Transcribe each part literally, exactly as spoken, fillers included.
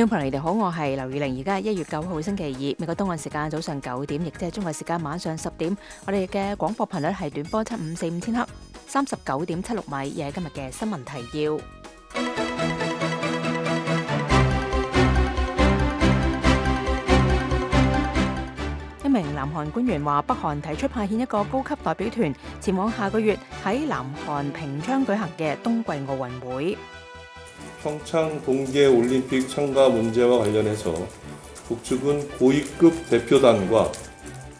聽眾朋友，你哋好，我係劉宇玲。而家係一月九號星期二，美國東岸時間早上九點，亦即係中國時間晚上十點。我哋嘅廣播頻率係短波七五四五千赫，三十九點七六米。亦係今日嘅新聞提要。一名南韓官員話，北韓提出派遣一個高級代表團前往下個月喺南韓平昌舉行嘅冬季奧運會。 평창 동계올림픽 참가 문제와 관련해서 북측은 고위급 대표단과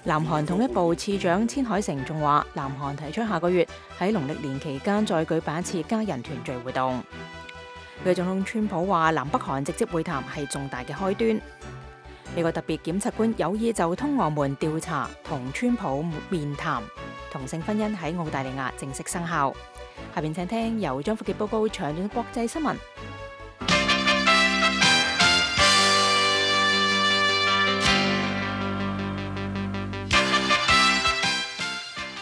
南韓統一部次長千海成仲話，南韓提出下個月喺農曆年期間再舉辦一次家人團聚活動。美國總統川普話，南北韓直接會談係重大嘅開端。美國特別檢察官有意就通俄門調查同川普面談。同性婚姻喺澳大利亞正式生效。下邊請聽由張福傑報告詳盡國際新聞。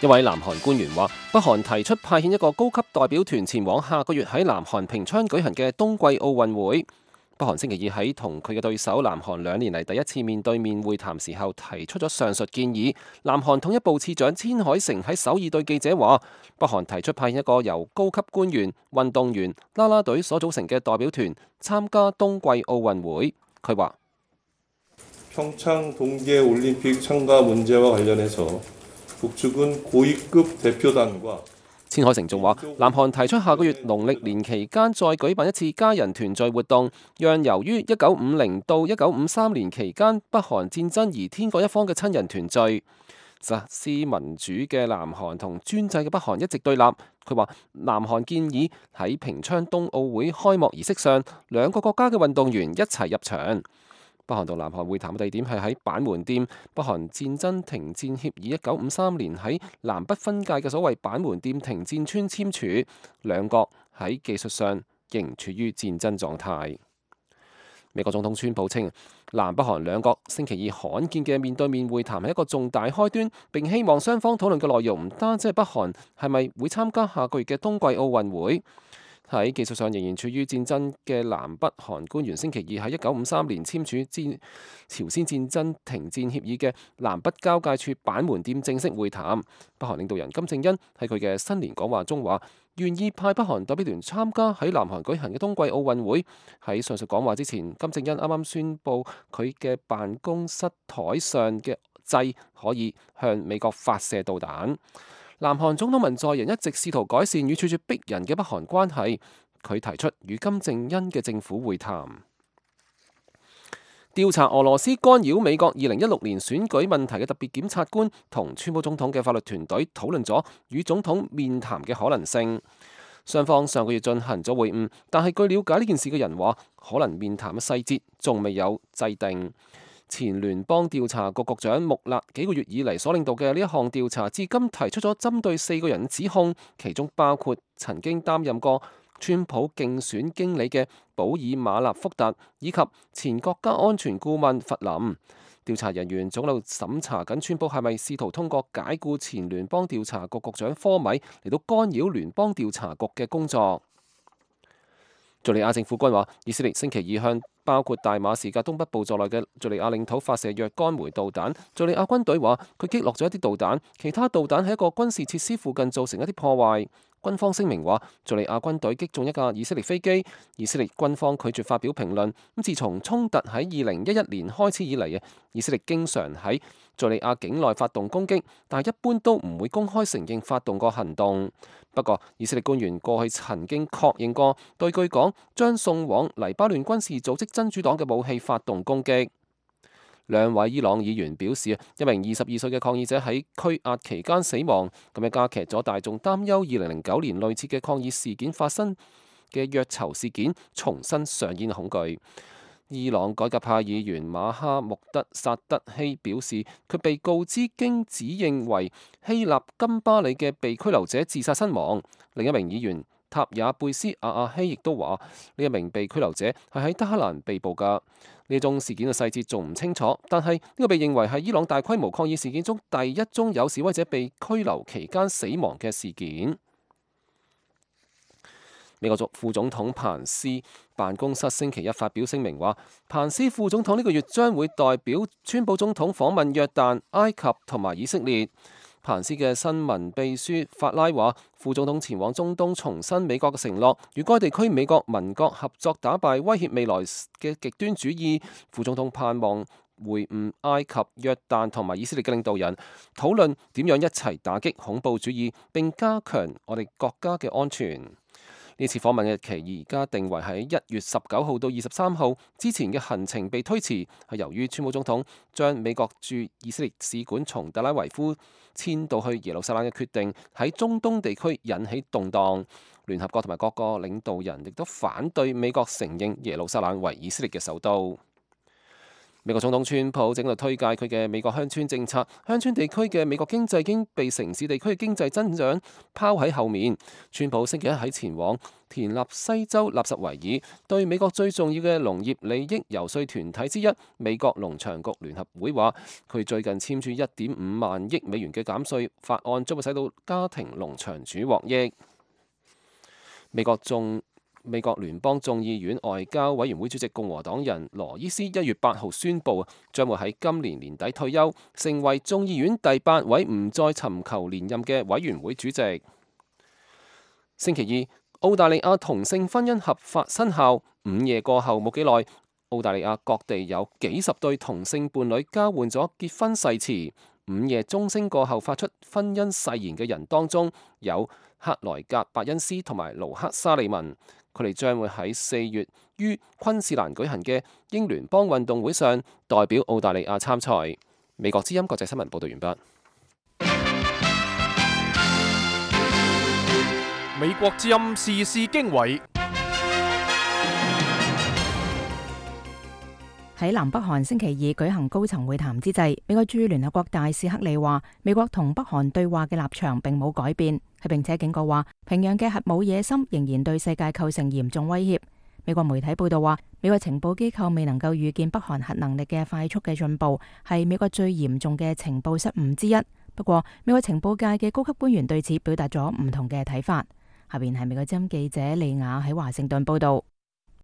一位南韓官員話，北韓提出派遣一個高級代表團前往下個月喺南韓平昌舉行嘅冬季奧運會。北韓星期二喺同佢嘅對手南韓兩年嚟第一次面對面會談時候提出咗上述建議。南韓統一部次長千海成喺首爾對記者話，北韓提出派遣一個由高級官員、運動員、啦啦隊所組成嘅代表團參加冬季奧運會。佢話： 평창 동계올림픽 참가 문제와 관련해서 북측은 고위급 대표단과千海成仲話，南韓提出下個月農曆年期間再舉辦一次家人團聚活動，讓由於一九五零到一九五三年期間北韓戰爭而天各一方嘅親人團聚。實施民主嘅南韓同專制嘅北韓一直對立。佢話，南韓建議喺平昌冬奧會開幕儀式上，兩個國家嘅運動員一齊入場。北韓同南韓會談嘅地點係喺板門店。北韓戰爭停戰協議一九五三年喺南北分界嘅所謂板門店停戰村簽署，兩國喺技術上仍處於戰爭狀態。美國總統川普稱，南北韓兩國星期二罕見嘅面對面會談係一個重大開端，並希望雙方討論嘅內容唔單止係北韓係咪會參加下個月嘅冬季奧運會。喺技術上仍然處於戰爭嘅南北韓官員星期二喺一九五三年簽署戰朝鮮戰爭停戰協議嘅南北交界處板門店正式會談。北韓領導人金正恩喺佢嘅新年講話中話，願意派北韓代表團參加喺南韓舉行嘅冬季奧運會。喺上述講話之前，金正恩啱啱宣布佢嘅辦公室台上嘅掣可以向美國發射導彈。南韓總統文在寅一直試圖改善與處處逼人嘅北韓關係，佢提出與金正恩嘅政府會談。調查俄羅斯干擾美國二零一六年選舉問題嘅特別檢察官同川普總統嘅法律團隊討論咗與總統面談嘅可能性。雙方上個月進行咗會晤，但係據了解呢件事嘅人話，可能面談嘅細節仲未有制定。前聯邦調查局局長穆勒幾個月以嚟所領導嘅呢一項調查，至今提出咗針對四個人指控，其中包括曾經擔任過川普競選經理嘅保爾馬納福特，以及前國家安全顧問弗林。調查人員總喺度審查緊川普係咪試圖通過解僱前聯邦調查局局長科米嚟到干擾聯邦調查局嘅工作。敘利亞政府軍話，以色列星期二向包括大馬士革東北部在內嘅敘利亞領土發射若干枚導彈。敘利亞軍隊話佢擊落咗一啲導彈，其他導彈喺一個軍事設施附近造成一啲破壞。軍方聲明話，敘利亞軍隊擊中一架以色列飛機。以色列軍方拒絕發表評論。咁自從衝突喺二零一一年開始以嚟嘅，以色列經常喺敘利亞境內發動攻擊，但係一般都唔會公開承認發動過行動。不過，以色列官員過去曾經確認過對據講將送往黎巴嫩軍事組織真主黨嘅武器發動攻擊。兩位伊朗議員表示，一名二十二歲嘅抗議者喺拘押期間死亡，咁樣加劇咗大眾擔憂二零零九年類似嘅抗議事件發生嘅虐囚事件重新上演恐懼。伊朗改革派議員馬哈穆德薩德希表示，佢被告知經指認為希臘金巴里嘅被拘留者自殺身亡。另一名議員塔也貝斯阿阿希亦都話，呢一名被拘留者係喺德黑蘭被捕㗎。呢宗事件嘅細節仲唔清楚，但係呢個被認為係伊朗大規模抗議事件中第一宗有示威者被拘留期間死亡嘅事件。美國副總統彭斯辦公室星期一發表聲明話，彭斯副總統呢個月將會代表川普總統訪問約旦、埃及同埋以色列。彭斯嘅新聞秘書法拉話，副總統前往中東重申美國嘅承諾，與該地區美國民國合作打敗威脅未來嘅極端主義。副總統盼望會晤埃及、約旦同埋以色列嘅領導人，討論點樣一齊打擊恐怖主義，並加強我哋國家嘅安全。呢次訪問嘅日期而家定為喺一月十九號到二十三號，之前嘅行程被推遲，係由於川普總統將美國駐以色列使館從特拉維夫遷到去耶路撒冷嘅決定，喺中東地區引起動盪。聯合國同埋各個領導人亦都反對美國承認耶路撒冷為以色列嘅首都。美國總統川普正喺度推介佢嘅美國鄉村政策，鄉村地區嘅美國經濟已經被城市地區嘅經濟增長拋喺後面。川普星期一喺前往田納西州納什維爾，對美國最重要嘅農業利益遊說團體之一美國農場局聯合會話，佢最近簽署一點五萬億美元嘅減稅法案，將會使到家庭農場主獲益。美國眾美國聯邦眾議院外交委員會主席共和黨人羅伊斯一月八號宣布，將會喺今年年底退休，成為眾議院第八位唔再尋求連任嘅委員會主席。星期二，澳大利亞同性婚姻合法生效，午夜過後冇幾耐，澳大利亞各地有幾十對同性伴侶交換咗結婚誓詞。午夜鐘聲過後發出婚姻誓言嘅人當中，有克萊格伯恩斯同埋盧克沙利文。佢哋將會喺四月於昆士蘭舉行嘅英聯邦運動會上代表澳大利亞參賽。美國之音國際新聞報道完畢。美國之音時事經緯。喺南北韓星期二舉行高層會談之際，美國駐聯合國大使克里話，美國同北韓對話嘅立場並冇改變，佢並且警告話，平壤嘅核武野心仍然對世界構成嚴重威脅。美國媒體報道話，美國情報機構未能夠預見北韓核能力嘅快速嘅進步，係美國最嚴重嘅情報失誤之一。不過，美國情報界嘅高級官員對此表達咗唔同嘅睇法。下邊係美國之音記者利亞喺華盛頓報道。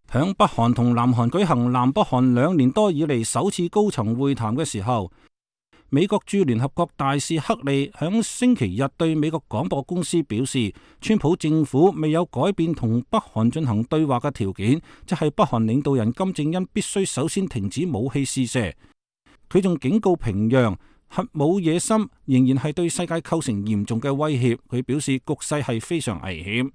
響北韓同南韓舉行南北韓兩年多以嚟首次高層會談嘅時候，美國駐聯合國大使克利響星期日對美國廣播公司表示，川普政府未有改變同北韓進行對話嘅條件，即係北韓領導人金正恩必須首先停止武器試射。佢仲警告平壤，核武野心仍然係對世界構成嚴重嘅威脅。佢表示局勢係非常危險。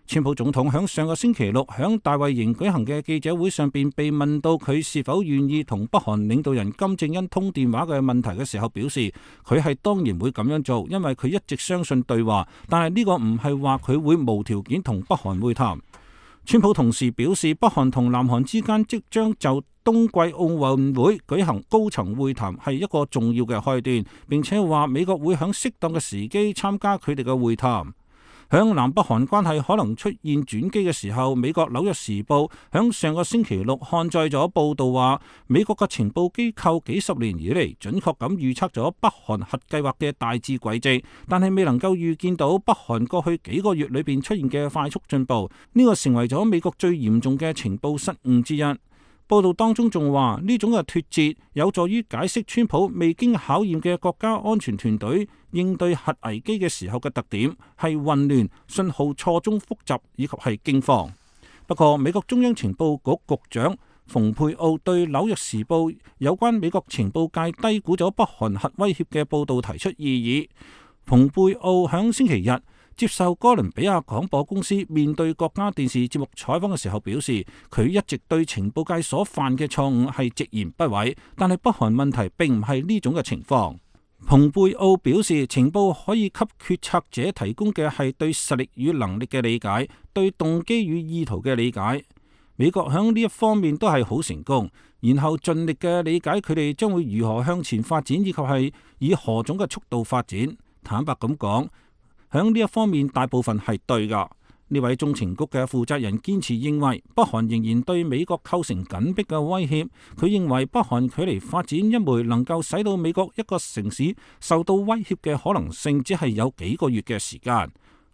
川普總統響上個星期六響大衛營舉行嘅記者會上邊被問到佢是否願意同北韓領導人金正恩通電話嘅問題嘅時候，表示佢係當然會咁樣做，因為佢一直相信對話，但係呢個唔係話佢會無條件同北韓會談。川普同時表示，北韓同南韓之間即將就冬季奧運會舉行高層會談係一個重要嘅開端，並且話美國會響適當嘅時機參加佢哋嘅會談。響南北韓關係可能出現轉機嘅時候，美國紐約時報響上個星期六刊載咗報道話，美國嘅情報機構幾十年以嚟準確咁預測咗北韓核計劃嘅大致軌跡，但係未能夠預見到北韓過去幾個月裏邊出現嘅快速進步，呢個成為咗美國最嚴重嘅情報失誤之一。報道當中仲話，呢種嘅脫節有助於解釋川普未經考驗嘅國家安全團隊應對核危機嘅時候嘅特點係混亂、信號錯綜複雜以及係驚慌。不過，美國中央情報局局長蓬佩奧對紐約時報有關美國情報界低估咗北韓核威脅嘅報道提出異議。蓬佩奧響星期日接受哥倫比亞廣播公司面對國家電視節目採訪嘅時候表示，佢一直對情報界所犯嘅錯誤係直言不諱，但係北韓問題並唔係呢種嘅情況。蓬佩奧表示，情報可以給決策者提供嘅係對實力與能力嘅理解，對動機與意圖嘅理解。美國響呢一方面都係好成功，然後盡力嘅理解佢哋將會如何向前發展，以及係以何種嘅速度發展。坦白咁講，響呢一方面大部分係對噶。呢位中情局嘅負責人堅持認為，北韓仍然對美國構成緊迫嘅威脅。佢認為北韓距離發展一枚能夠使到美國一個城市受到威脅嘅可能性，只係有幾個月嘅時間。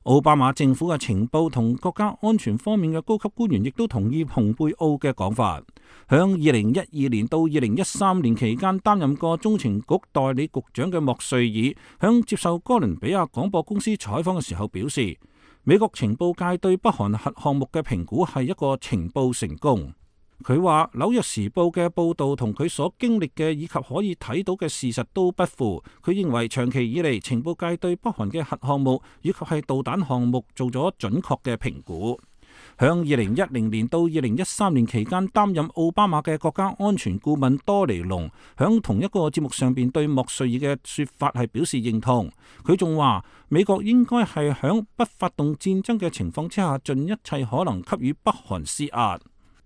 奧巴馬政府嘅情報同國家安全方面嘅高級官員亦都同意蓬佩奧嘅講法。響二零一二年到二零一三年期間擔任過中情局代理局長嘅莫瑞爾，響接受哥倫比亞廣播公司採訪嘅時候表示，美國情報界對北韓核項目嘅評估係一個情報成功。佢話紐約時報嘅報導同佢所經歷嘅以及可以睇到嘅事實都不符。佢認為長期以嚟情報界對北韓嘅核項目以及係導彈項目做咗準確嘅評估。響二零一零年到二零一三年期間擔任奧巴馬嘅國家安全顧問多尼龍響同一個節目上邊對莫瑞爾嘅說法係表示認同。佢仲話美國應該係響不發動戰爭嘅情況之下盡一切可能給予北韓施壓。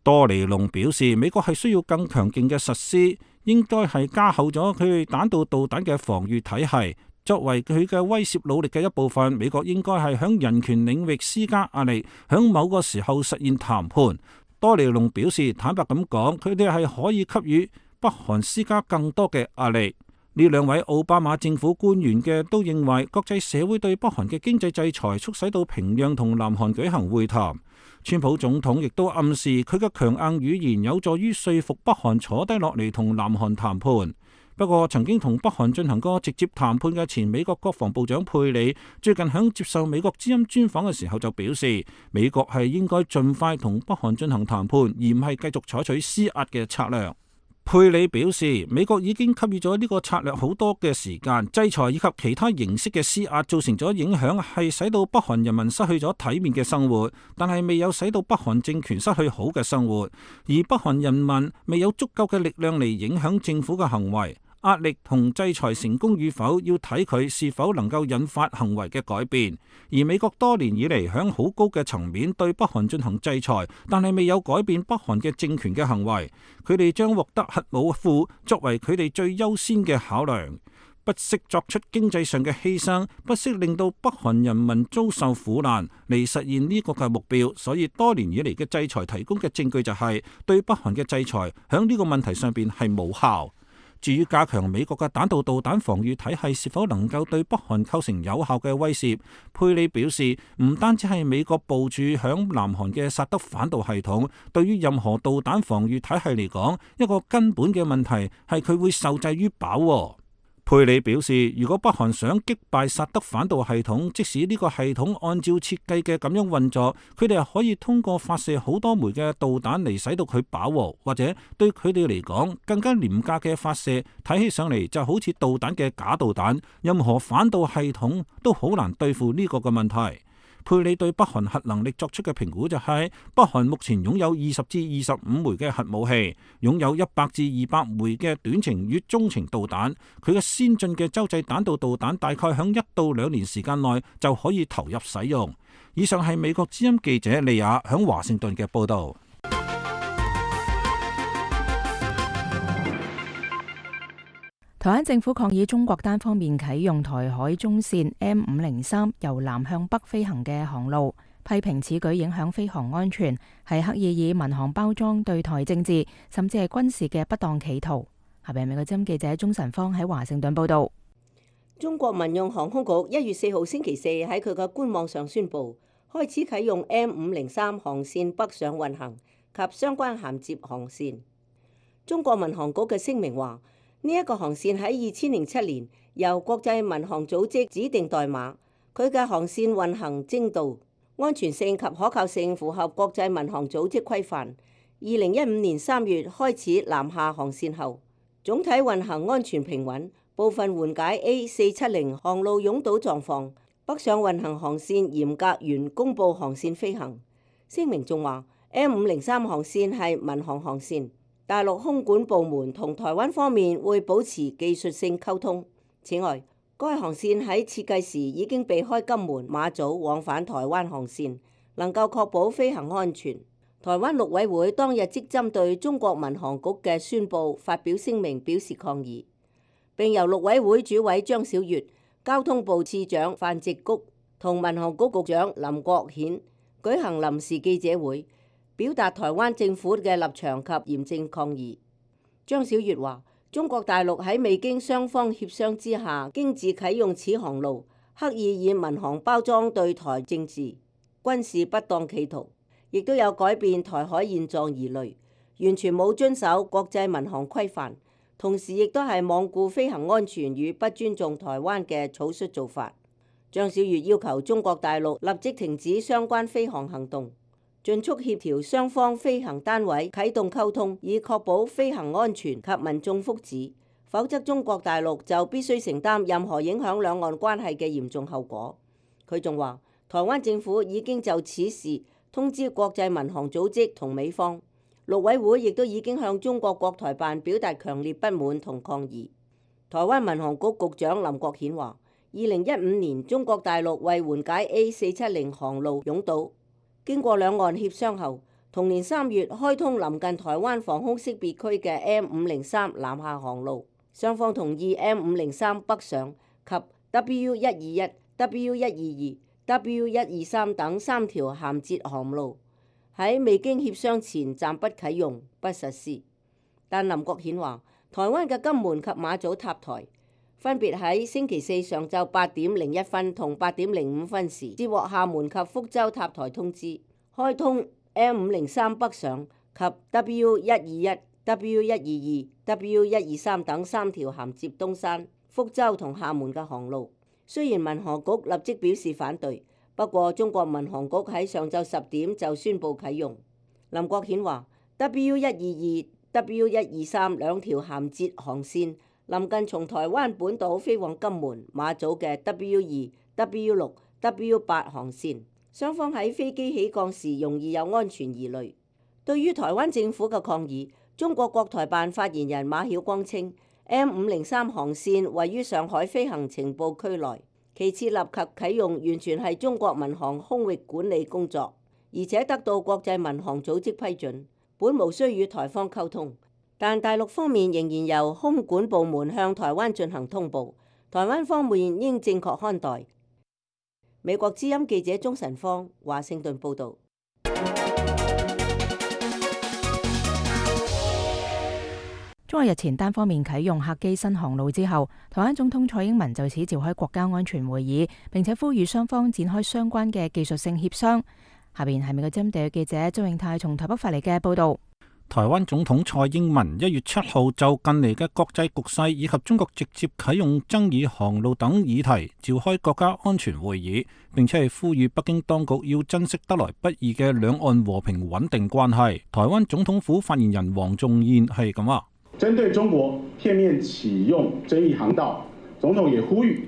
多尼龍表示，美國係需要更強勁嘅實施，應該係加厚咗佢彈道導彈嘅防禦體系。作為佢嘅威懾努力嘅一部分，美國應該係響人權領域施加壓力，響某個時候實現談判。多尼龍表示，坦白咁講，佢哋係可以給予北韓施加更多嘅壓力。呢兩位奧巴馬政府官員嘅都認為，國際社會對北韓嘅經濟制裁促使到平壤同南韓舉行會談。川普總統亦都暗示佢嘅強硬語言有助於說服北韓坐低落嚟同南韓談判。不過，曾經同北韓進行過直接談判嘅前美國國防部長佩里，最近響接受美國之音專訪嘅時候就表示，美國係應該盡快同北韓進行談判，而唔係繼續採取施壓嘅策略。佩里表示，美國已經給予咗呢個策略好多嘅時間，制裁以及其他形式嘅施壓造成咗影響，係使到北韓人民失去咗體面嘅生活，但係未有使到北韓政權失去好嘅生活，而北韓人民未有足夠嘅力量嚟影響政府嘅行為。壓力同制裁成功與否，要睇佢是否能夠引發行為嘅改變。而美國多年以嚟響好高嘅層面對北韓進行制裁，但係未有改變北韓嘅政權嘅行為。佢哋將獲得核武庫作為佢哋最優先嘅考量，不惜作出經濟上嘅犧牲，不惜令到北韓人民遭受苦難嚟實現呢個嘅目標。所以多年以嚟嘅制裁提供嘅證據就係、是、對北韓嘅制裁響呢個問題上邊係無效。至於加強美國嘅彈道導彈防禦體系是否能夠對北韓構成有效嘅威脅，佩里表示，唔單止係美國部署響南韓嘅薩德反導系統，對於任何導彈防禦體系嚟講，一個根本嘅問題係佢會受制於飽。佩里表示，如果北韓想擊敗薩德反導系統，即使呢個系統按照設計嘅咁樣運作，佢哋係可以通過發射好多枚嘅導彈嚟使到佢飽和，或者對佢哋嚟講更加廉價嘅發射，睇起上嚟就好似導彈嘅假導彈，任何反導系統都好難對付呢個嘅問題。佩里對北韓核能力作出嘅評估就係、是，北韓目前擁有二十至二十五枚嘅核武器，擁有一百至二百枚嘅短程與中程導彈。佢嘅先進嘅洲際彈道導彈大概響一到兩年時間內就可以投入使用。以上係美國之音記者利亞響華盛頓嘅報道。台灣政府抗議中國單方面啟用台海中線 M 五零三由南向北飛行嘅航路，批評此舉影響飛航安全，係刻意以民航包裝對台政治甚至係軍事嘅不當企圖。下邊美國之音記者鍾晨芳喺華盛頓報道。中國民用航空局一月四號星期四喺佢嘅官網上宣布，開始啟用 M 五零三航線北上運行及相關銜接航線。中國民航局嘅聲明話，呢一個航線喺二千零七年由國際民航組織指定代碼，佢嘅航線運行精度、安全性及可靠性符合國際民航組織規範。二零一五年三月開始南下航線後，總體運行安全平穩，部分緩解 A 四七零航路擁堵狀況。北上運行航線嚴格原公佈航線飛行。聲明仲話 M 五零三航線係民航航線。大陸空管部門同台灣方面會保持技術性溝通。此外，該航線喺設計時已經避開金門、馬祖往返台灣航線，能夠確保飛行安全。台灣陸委會當日即針對中國民航局嘅宣佈發表聲明表示抗議，並由陸委會主委張曉月、交通部次長范植菊同民航局局長林國顯舉行臨時記者會，表達台灣政府嘅立場及嚴正抗議。張曉月話：中國大陸喺未經雙方協商之下，經自啟用此航路，刻意以民航包裝對台政治、軍事不當企圖，亦都有改變台海現狀疑慮，完全冇遵守國際民航規範，同時亦都係罔顧飛行安全與不尊重台灣嘅草率做法。張小月要求中國大陸立即停止相關飛航行動，盡速協調雙方飛行單位啟動溝通，以確保飛行安全及民眾福祉，否則中國大陸就必須承擔任何影響兩岸關係嘅嚴重後果。佢仲話，台灣政府已經就此事通知國際民航組織同美方，陸委會亦都已經向中國國台辦表達強烈不滿同抗議。台灣民航局局長林國顯話，二零一五年中國大陸為緩解 A 四七零航路擁堵，經過兩岸協商後，同年三月開通臨近台灣防空識別區嘅 M 五零三南下航路，雙方同意 M 五零三北上及 W 一二一、W 一二二、W 一二三等三條銜接航路喺未經協商前暫不啟用、不實施。但林國顯話，台灣嘅金門及馬祖塔台分別喺星期四上晝八點零一分同八點零五分時接獲廈門及福州塔台通知，開通 M 五零三北上及 W 一二一、W 一二二、W 一二三等三條銜接東山、福州同廈門嘅航路。雖然民航局立即表示反對，不過中國民航局喺上晝十點就宣布啟用。林國顯話 W 一二二、W 一二三兩條銜接航線臨近從台灣本島飛往金門、馬祖嘅 W 二、W 六、W 八航線，雙方喺飛機起降時容易有安全疑慮。對於台灣政府嘅抗議，中國國台辦發言人馬曉光稱 M 五零三航線位於上海飛行情報區內，其設立及啟用完全係中國民航空域管理工作，而且得到國際民航組織批准，本無需與台方溝通。但大陸方面仍然由空管部門向台灣進行通報，台灣方面應正確看待。美國之音記者鍾晨芳華盛頓報導。中國日前單方面啟用客機新航路之後，台灣總統蔡英文就此召開國家安全會議，並且呼籲雙方展開相關嘅技術性協商。下邊係美國之音地記者周永泰從台北發嚟嘅報導。台灣總統蔡英文一月七號就近嚟嘅國際局勢以及中國直接啟用爭議航路等議題召開國家安全會議，並且係呼籲北京當局要珍惜得來不易嘅兩岸和平穩定關係。台灣總統府發言人黃仲彥係咁話：針對中國片面啟用爭議航道，總統也呼籲。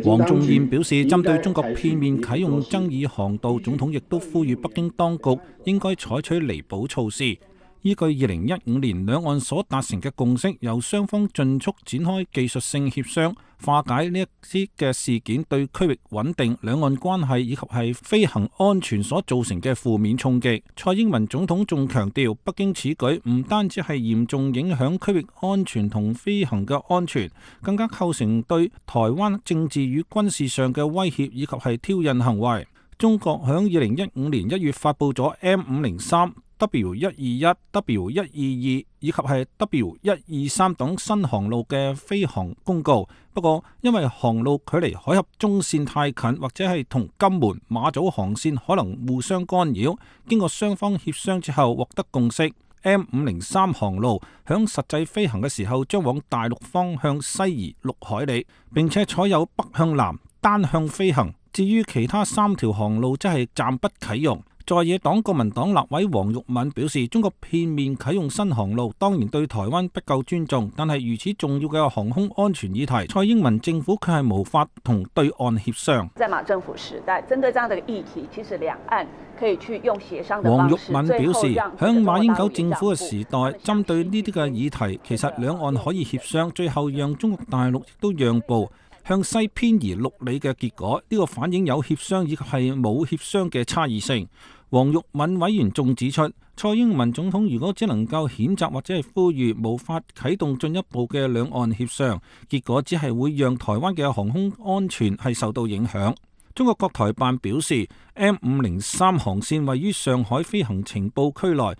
黃仲彥表示，針對中國片面啟用爭議航道，總統亦都呼籲北京當局應該採取彌補措施。依據二零一五年兩岸所達成嘅共識，由雙方盡速展開技術性協商，化解呢一啲嘅事件對區域穩定、兩岸關係以及係飛行安全所造成嘅負面衝擊。蔡英文總統仲強調，北京此舉唔單止係嚴重影響區域安全同飛行嘅安全，更加構成對台灣政治與軍事上嘅威脅以及係挑釁行為。中國響二零一五年一月發布咗 M 五零三、W 一二一、W 一二二以及係 W 一二三等新航路嘅飛航公告，不過因為航路距離海峽中線太近，或者係同金門、馬祖航線可能互相干擾，經過雙方協商之後獲得共識， M 五零三航路響實際飛行嘅時候將往大陸方向西移六海里，並且採有北向南單向飛行。至於其他三條航路則係暫不啟用。在野黨國民黨立委黃玉敏表示，中國片面啟用新航路當然對台灣不夠尊重，但係如此重要嘅航空安全議題，蔡英文政府卻係無法同對岸協商。在馬政府時代，針對這樣的議題，其實兩岸可以去用協商的方式。黃玉敏表示，響馬英九政府嘅時代，針對呢啲嘅議題，其實兩岸可以協商，最後讓中國大陸亦都讓步，向西偏移六里嘅結果，呢、這個反映有協商以及係冇協商嘅差異性。黃玉敏委員仲指出，蔡英文總統如果只能夠譴責或者係呼籲，無法啟動進一步嘅兩岸協商，結果只係會讓台灣嘅航空安全係受到影響。中國國台辦表示 ，M 五零三航線位於上海飛行情報區內，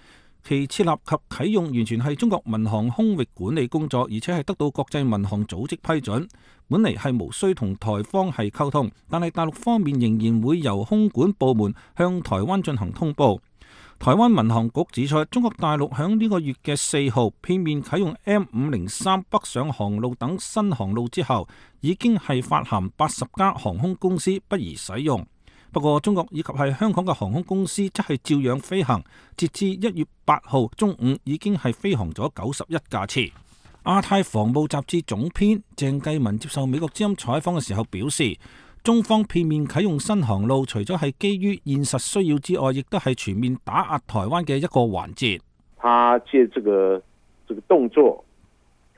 其設立及啟用完全係中國民航空域管理工作，而且係得到國際民航組織批准。本嚟係無需同台方係溝通，但係大陸方面仍然會由空管部門向台灣進行通報。台灣民航局指出，中國大陸響呢個月嘅四號片面啟用 M 五零三北上航路等新航路之後，已經係發函八十家航空公司不宜使用。不過，中國以及係香港嘅航空公司則係照樣飛行，截至一月八號中午已經係飛航咗九十一架次。亞太防務雜誌總編鄭繼文接受美國之音採訪嘅時候表示，中方片面啟用新航路，除咗係基於現實需要之外，亦都係全面打壓台灣嘅一個環節。他借這個這個動作，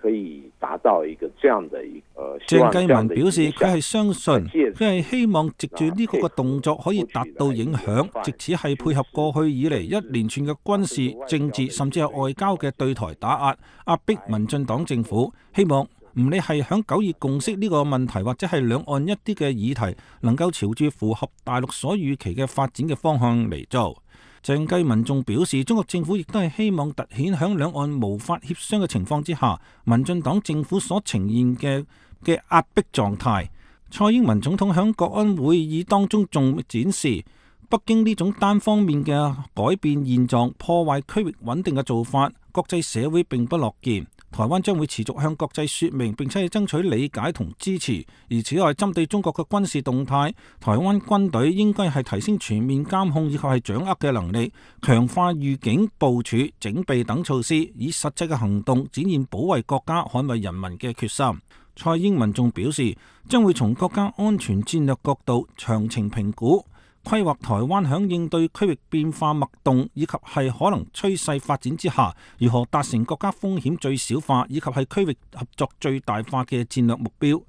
可以達到一個這樣的一個。鄭繼文表示，佢係相信，佢係希望藉住呢個個動作可以達到影響，藉此係配合過去以嚟一連串嘅軍事、政治甚至係外交嘅對台打壓，壓迫民進黨政府。希望唔理係響九二共識呢個問題，或者係兩岸一啲嘅議題，能夠朝住符合大陸所預期嘅發展嘅方向嚟做。鄭繼文仲表示，中國政府亦都係希望凸顯響兩岸無法協商嘅情況之下，民進黨政府所呈現嘅嘅壓迫狀態。蔡英文總統響國安會議當中仲展示，北京呢種單方面嘅改變現狀、破壞區域穩定嘅做法，國際社會並不樂見。台灣將會持續向國際說明，並且係爭取理解同支持。而此外，針對中國嘅軍事動態，台灣軍隊應該係提升全面監控以及係掌握嘅能力，強化預警、部署、整備等措施，以實際嘅行動展現保衛國家、捍衛人民嘅決心。蔡英文仲表示，將會從國家安全戰略角度詳情評估，規劃台灣響應對區域變化脈動以及係可能趨勢發展之下，如何達成國家風險最小化以及係區域合作最大化嘅戰略目標，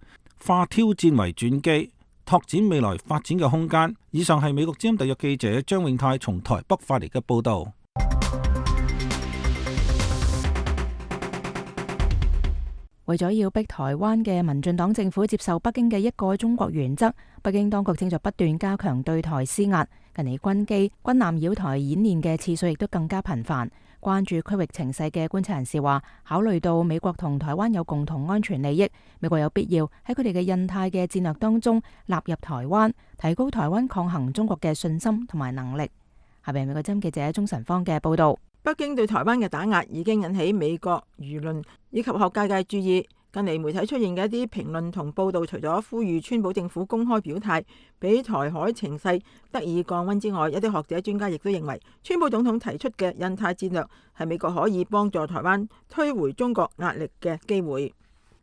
化挑戰為轉機，拓展未來發展嘅空間。以上係美國之音特約記者張永泰從台北發嚟嘅報導。為咗要逼台灣嘅民進黨政府接受北京嘅一個中國原則，北京當局正在不斷加強對台施壓。近嚟軍機、軍艦繞台演練嘅次數亦都更加頻繁。關注區域情勢嘅觀察人士話，考慮到美國同台灣有共同安全利益，美國有必要喺佢哋嘅印太嘅戰略當中納入台灣，提高台灣抗衡中國嘅信心同埋能力。下邊係美國之音記者鍾晨芳嘅報道。北京對台灣嘅打壓已經引起美國輿論以及學界嘅注意。近嚟媒體出現嘅一啲評論同報道，除咗呼籲川普政府公開表態，俾台海情勢得以降溫之外，一啲學者專家亦都認為，川普總統提出嘅印太戰略係美國可以幫助台灣推回中國壓力嘅機會。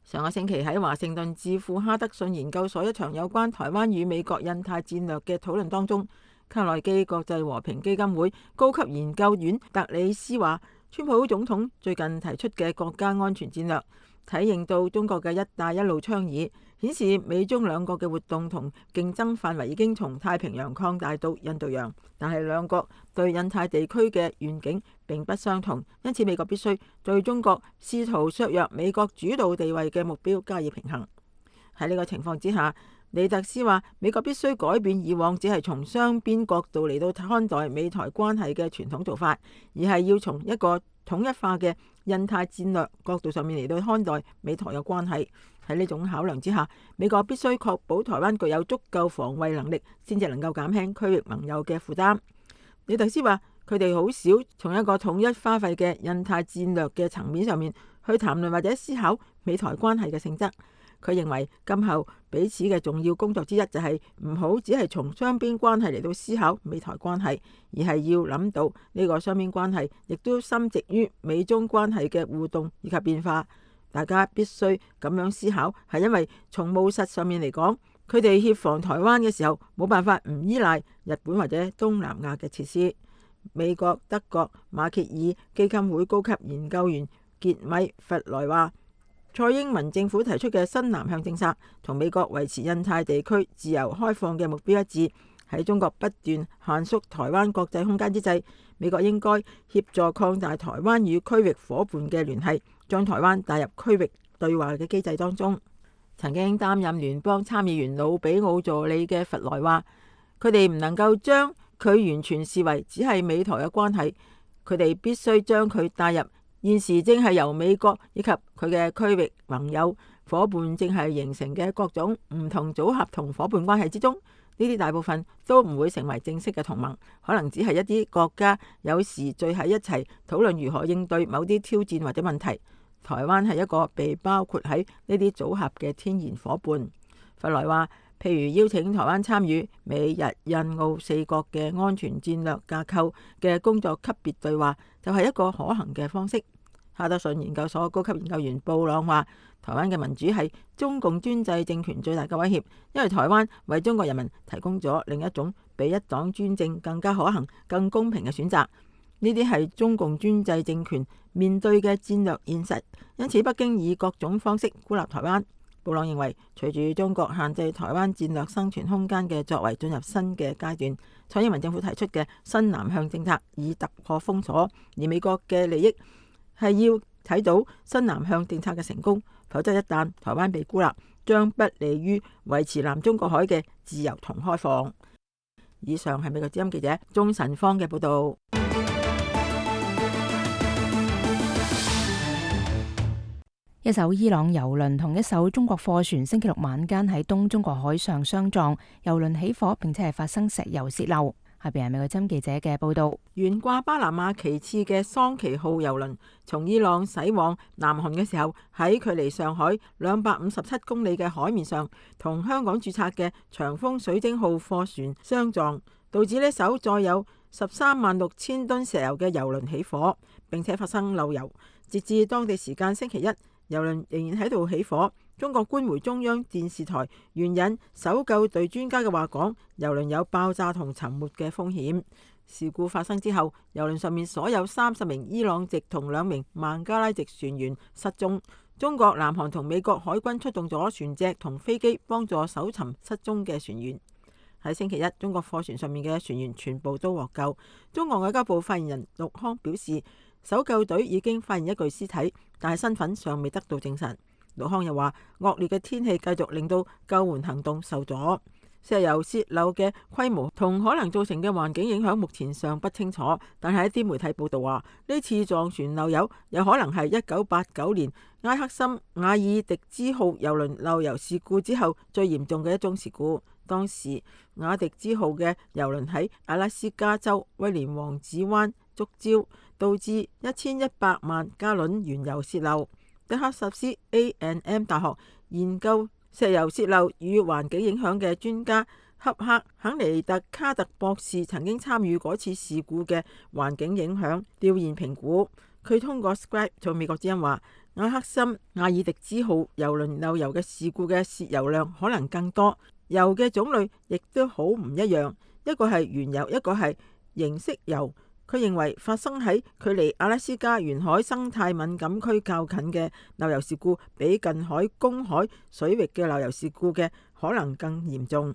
上個星期喺華盛頓智庫哈德遜研究所一場有關台灣與美國印太戰略嘅討論當中，卡內基國際和平基金會高級研究員特里斯話，川普總統最近提出嘅國家安全戰略體現到中國嘅一帶一路倡議，顯示美中兩國嘅活動同競爭範圍已經從太平洋擴大到印度洋，但係兩國對印太地區嘅願景並不相同，因此美國必須對中國試圖削弱美國主導地位嘅目標加以平衡。喺呢個情況之下，李特斯話，美國必須改變以往只係從雙邊角度嚟到看待美台關係嘅傳統做法，而係要從一個統一化嘅印太戰略角度上面嚟到看待美台嘅關係。喺呢種考量之下，美國必須確保台灣具有足夠防衛能力，先至能夠減輕區域盟友嘅負擔。李特斯話，佢哋好少從一個統一花費嘅印太戰略嘅層面上面去談論或者思考美台關係嘅性質。佢認為今後彼此嘅重要工作之一就係唔好只係從雙邊關係嚟到思考美台關係，而係要諗到呢個雙邊關係亦都深植於美中關係嘅互動以及變化。大家必須咁樣思考，係因為從務實上面嚟講，佢哋協防台灣嘅時候冇辦法唔依賴日本或者東南亞嘅設施。美國、德國、馬歇爾基金會高級研究員傑米弗萊話，蔡英文政府提出嘅新南向政策同美國維持印太地區自由開放嘅目標一致。喺中國不斷限縮台灣國際空間之際，美國應該協助擴大台灣與區域夥伴嘅聯繫，將台灣帶入區域對話嘅機制當中。曾經擔任聯邦參議員魯比奧助理嘅弗萊話，佢哋唔能夠將佢完全視為只係美台嘅關係，佢哋必須將佢帶入現時正係由美國以及佢嘅區域盟友伙伴正係形成嘅各種唔同組合同伙伴關係之中。呢啲大部分都唔會成為正式嘅同盟，可能只係一啲國家有時聚喺一齊討論如何應對某啲挑戰或者問題。台灣係一個被包括喺呢啲組合嘅天然伙伴。弗萊話，譬如邀請台灣參與美日印澳四國嘅安全戰略架構嘅工作級別對話，就係一個可行嘅方式。哈德遜研究所高級研究員布朗話，台灣嘅民主係中共專制政權最大嘅威脅，因為台灣為中國人民提供咗另一種比一黨專政更加可行、更公平嘅選擇。呢啲係中共專制政權面對嘅戰略現實，因此北京以各種方式孤立台灣。布朗認為，隨住中國限制台灣戰略生存空間嘅作為進入新嘅階段，蔡英文政府提出嘅新南向政策以突破封鎖，而美國嘅利益係要睇到新南向政策嘅成功，否則一旦台灣被孤立，將不利於維持南中國海嘅自由同開放。以上係美國之音記者鍾晨芳嘅報道。一艘伊朗郵輪同一艘中國貨船星期六晚間喺東中國海上相撞，郵輪起火，並且係發生石油洩漏。下邊係美國之音記者嘅報道。懸掛巴拿馬旗幟嘅桑奇號郵輪從伊朗駛往南韓嘅時候，喺距離上海兩百五十七公里嘅海面上，同香港註冊嘅長豐水晶號貨船相撞，導致呢艘載有十三萬六千噸石油嘅郵輪起火，並且發生漏油。截至當地時間星期一，郵輪仍然喺度起火。中國官媒中央電視台援引搜救隊專家嘅話講，郵輪有爆炸同沉沒嘅風險。事故發生之後，郵輪上面所有三十名伊朗籍同兩名孟加拉籍船員失蹤。中國、南韓同美國海軍出動咗船隻同飛機幫助搜尋失蹤嘅船員。喺星期一，中國貨船上面嘅船員全部都獲救。中國外交部發言人陸康表示，搜救隊已經發現一具屍體，但係身份尚未得到證實。陸康又話，惡劣嘅天氣繼續令到救援行動受阻，石油洩漏嘅規模同可能造成嘅環境影響目前尚不清楚。但係一啲媒體報道話，呢次撞船漏油有可能係一九八九年埃克森瓦爾迪茲號郵輪漏油事故之後最嚴重嘅一宗事故。當時瓦迪茲號嘅郵輪喺阿拉斯加州威廉王子灣觸礁，導致一千一百萬加侖原油洩漏。德克薩斯 A and M 大學研究石油洩漏與環境影響嘅專家恰克肯尼特卡特博士曾經參與嗰次事故嘅環境影響調研評估。佢通過 Skype 同美國之音話，埃克森瓦爾迪茲號郵輪漏油嘅事故嘅洩油量可能更多，油嘅種類亦都好唔一樣，一個係原油，一個係形式油。佢認為發生喺距離阿拉斯加沿海生態敏感區較近嘅漏油事故，比近海公海水域嘅漏油事故嘅可能更嚴重。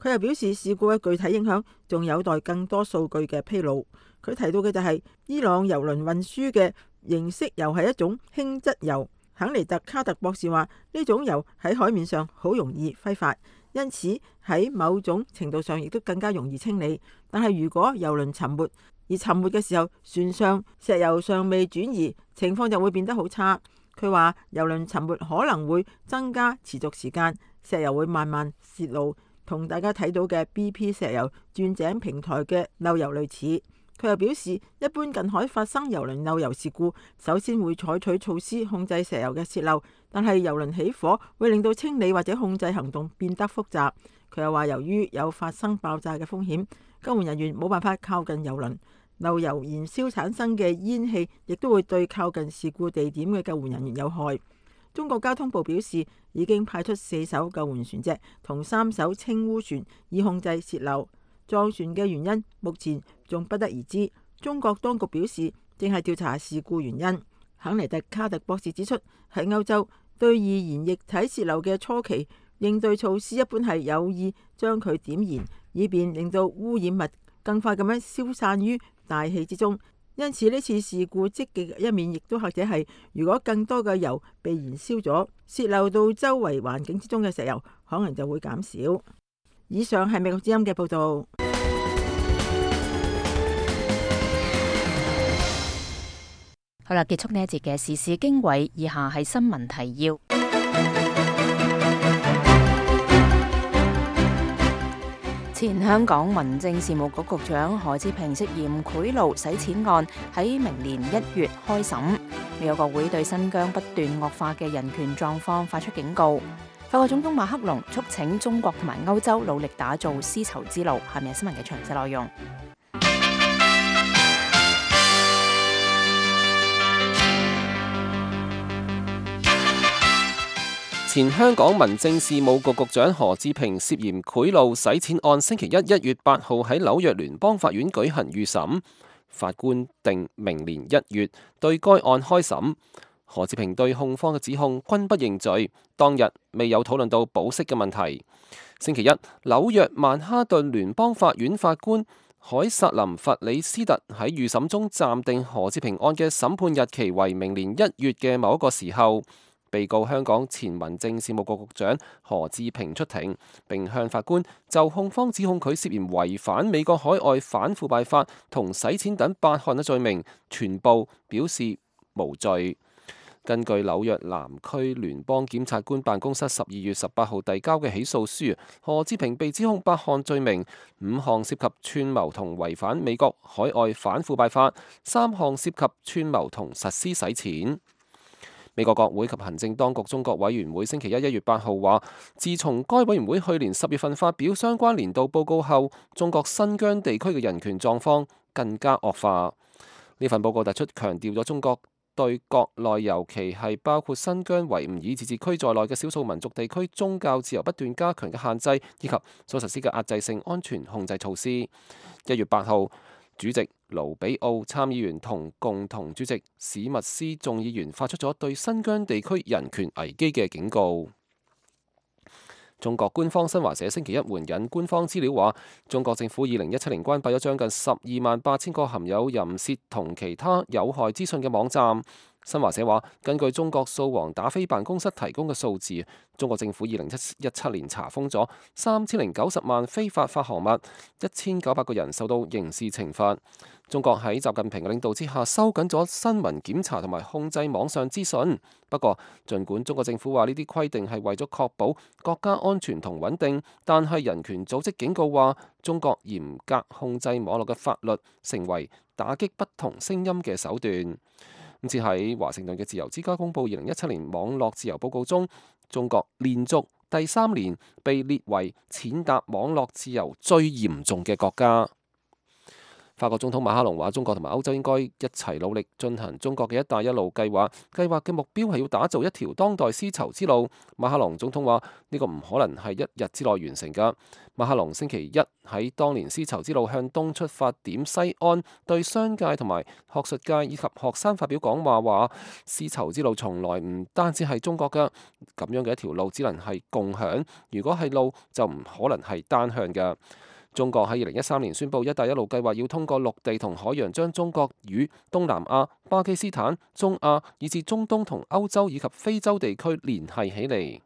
佢又表示，事故嘅具體影響仲有待更多數據嘅披露。佢提到嘅就係伊朗郵輪運輸嘅形式油係一種輕質油。肯尼特卡特博士話，呢種油喺海面上好容易揮發，因此喺某種程度上亦都更加容易清理。但係如果郵輪沉沒，而沉沒嘅時候，船上石油尚未轉移，情況就會變得好差。佢話，郵輪沉沒可能會增加持續時間，石油會慢慢泄露，同大家睇到嘅 B P 石油鑽井平台嘅漏油類似。佢又表示，一般近海發生郵輪漏油事故，首先會採取措施控制石油嘅泄漏，但係郵輪起火會令到清理或者控制行動變得複雜。佢又話，由於有發生爆炸嘅風險，救援人員冇辦法靠近郵輪，漏油燃燒產生嘅煙氣亦都會對靠近事故地點嘅救援人員有害。中國交通部表示，已經派出四艘救援船隻同三艘清污船以控制泄漏。撞船嘅原因目前仲不得而知。中國當局表示，正係調查事故原因。肯尼特卡特博士指出，喺歐洲對易燃液體泄漏嘅初期應對措施一般係有意將佢點燃，以便令到污染物更快咁樣消散於大氣之中。因此呢次事故積極嘅一面，亦都或者係如果更多嘅油被燃燒咗，泄漏到周圍環境之中嘅石油可能就會減少。以上係美國之音嘅報道。好啦，結束呢一節嘅時事經緯，以下係新聞提要。前香港民政事務局局長何志平涉嫌賄賂洗錢案喺明年一月開審。美國國會對新疆不斷惡化嘅人權狀況發出警告。法國總統馬克龍促請中國同埋歐洲努力打造絲綢之路。下面係新聞嘅詳細內容。前香港民政事務局局長何志平涉嫌賄賂洗錢案，星期一一月八號喺紐約聯邦法院舉行預審，法官定明年一月對該案開審。何志平對控方嘅指控均不認罪，當日未有討論到保釋嘅問題。星期一，紐約曼哈頓聯邦法院法官凱薩琳弗里斯特喺預審中暫定何志平案嘅審判日期為明年一月嘅某一個時候。被告香港前民政事務局局長何志平出庭，並向法官就控方指控佢涉嫌違反美國海外反腐敗法同洗錢等八項嘅罪名，全部表示無罪。根據紐約南區聯邦檢察官辦公室十二月十八號遞交嘅起訴書，何志平被指控八項罪名，五項涉及串謀同違反美國海外反腐敗法，三項涉及串謀同實施洗錢。美國國會及行政當局中國委員會星期一一月八號話，自從該委員會去年十月份發表相關年度報告後，中國新疆地區嘅人權狀況更加惡化。呢份報告突出強調咗中國對國內尤其係包括新疆維吾爾自治區在內嘅少數民族地區宗教自由不斷加強嘅限制，以及所實施嘅壓制性安全控制措施。一月八號，主席盧比奧參議員同共同主席史密斯眾議員發出咗對新疆地區人權危機嘅警告。中國官方新華社星期一援引官方資料話，中國政府二零一七年關閉咗將近十二萬八千個含有淫褻同其他有害資訊嘅網站。新華社話，根據中國掃黃打非辦公室提供嘅數字，中國政府二零一七年查封咗三千零九十萬非法發行物，一千九百個人受到刑事懲罰。中國喺習近平嘅領導之下，收緊咗新聞檢查同埋控制網上資訊。不過，儘管中國政府話呢啲規定係為咗確保國家安全同穩定，但係人權組織警告話，中國嚴格控制網絡嘅法律成為打擊不同聲音嘅手段。今次喺華盛頓嘅自由之家公佈二零一七年網絡自由報告中，中國連續第三年被列為踐踏網絡自由最嚴重嘅國家。法國總統馬克龍話：中國同埋歐洲應該一齊努力進行中國嘅一帶一路計劃，計劃嘅目標係要打造一條當代絲綢之路。馬克龍總統話：呢個唔可能係一日之內完成㗎。馬克龍星期一喺當年絲綢之路向東出發點西安，對商界同埋學術界以及學生發表講話，話絲綢之路從來唔單止係中國㗎，咁樣嘅一條路只能係共享，如果係路就唔可能係單向㗎。中國喺二零一三年宣布一帶一路計劃要通過陸地同海洋將中國與東南亞、巴基斯坦、中亞以至中東同歐洲以及非洲地區聯繫起嚟。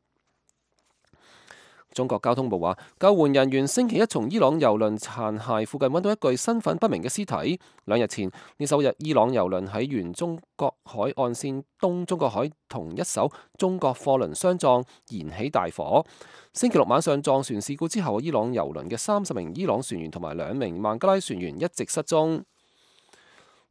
中國交通部話，救援人員星期一從伊朗郵輪殘骸附近揾到一具身份不明嘅屍體。兩日前，呢艘日伊朗郵輪喺沿中國海岸線東中國海同一艘中國貨輪相撞，燃起大火。星期六晚上撞船事故之後，伊朗郵輪嘅三十名伊朗船員同埋兩名孟加拉船員一直失蹤。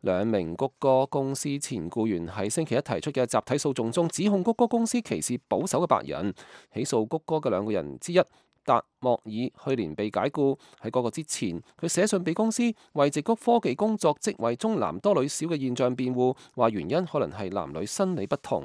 兩名谷歌公司前僱員喺星期一提出嘅集體訴訟中，指控谷歌公司歧視保守嘅白人。起訴谷歌嘅兩個人之一達莫爾去年被解僱，喺嗰個之前，佢寫信俾公司為矽谷科技工作職位中男多女少嘅現象辯護，話原因可能係男女生理不同。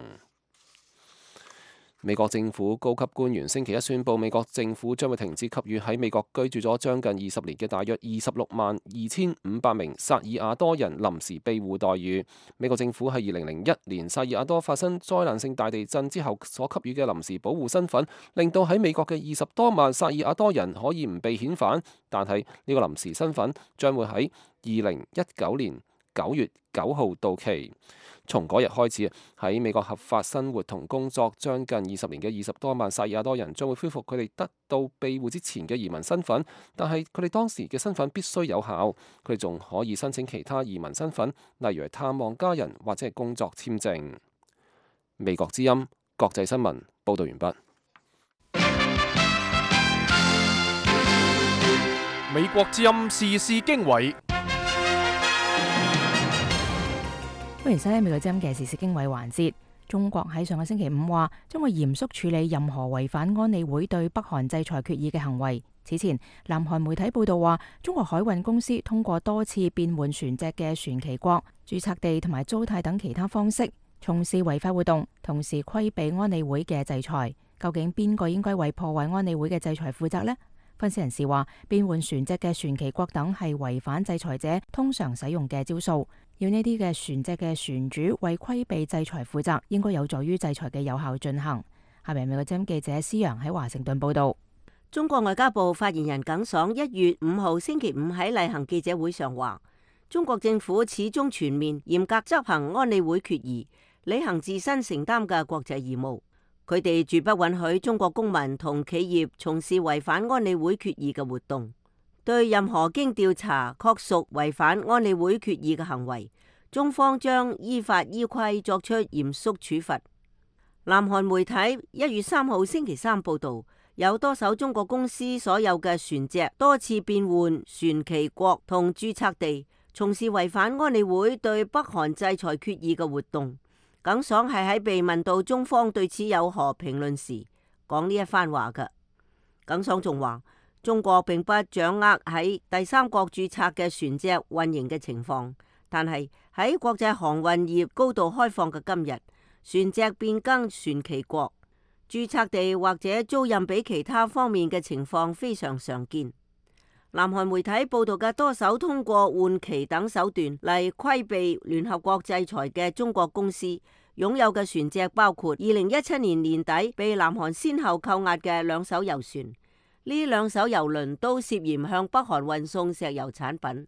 美國政府高級官員星期一宣布，美國政府將會停止給予喺美國居住咗將近二十年嘅大約二十六萬二千五百名薩爾瓦多人臨時庇護待遇。美國政府喺二零零一年薩爾瓦多發生災難性大地震之後所給予嘅臨時保護身份，令到喺美國嘅二十多萬薩爾瓦多人可以唔被遣返，但係呢個臨時身份將會喺二零一九年九月九號到期。從嗰日開始，喺美國合法生活同工作將近二十年嘅二十多萬薩爾瓦多人將會恢復佢哋得到庇護之前嘅移民身份，但係佢哋當時嘅身份必須有效，佢哋仲可以申請其他移民身份，例如係探望家人或者係工作簽證。美國之音國際新聞報道完畢。美國之音時事經緯。歡迎收聽美國之音嘅時事經緯環節。中國喺上個星期五話將會嚴肅處理任何違反安理會對北韓制裁決議嘅行為。此前，南韓媒體報道話，中國海運公司通過多次變換船隻嘅船旗國、註冊地同埋租貸等其他方式從事違法活動，同時規避安理會嘅制裁。究竟邊個應該為破壞安理會嘅制裁負責呢？分析人士話，變換船隻嘅船旗國等係違反制裁者通常使用嘅招數，要呢啲嘅船隻嘅船主為規避制裁負責，應該有助於制裁嘅有效進行。下面美國之音記者施陽喺華盛頓報道。中國外交部發言人耿爽一月五號星期五喺例行記者會上話，中國政府始終全面嚴格執行安理會決議，履行自身承擔嘅國際義務。佢哋絕不允許中國公民同企業從事違反安理會決議嘅活動。對任何經調查確屬違反安理會決議嘅行為，中方將依法依規作出嚴肅處罰。南韓媒體一月三號星期三報道，有多艘中國公司所有嘅船隻多次變換船旗國同註冊地，從事違反安理會對北韓制裁決議嘅活動。耿爽係喺被問到中方對此有何評論時講呢一番話嘅。耿爽仲話，中國並不掌握喺第三國註冊嘅船隻運營嘅情況，但係喺國際航運業高度開放嘅今日，船隻變更船旗國、註冊地或者租賃俾其他方面嘅情況非常常見。南韓媒體報道嘅多艘通過換旗等手段嚟規避聯合國制裁嘅中國公司擁有嘅船隻，包括二零一七年年底被南韓先後扣押嘅兩艘油船。呢兩艘油輪都涉嫌向北韓運送石油產品。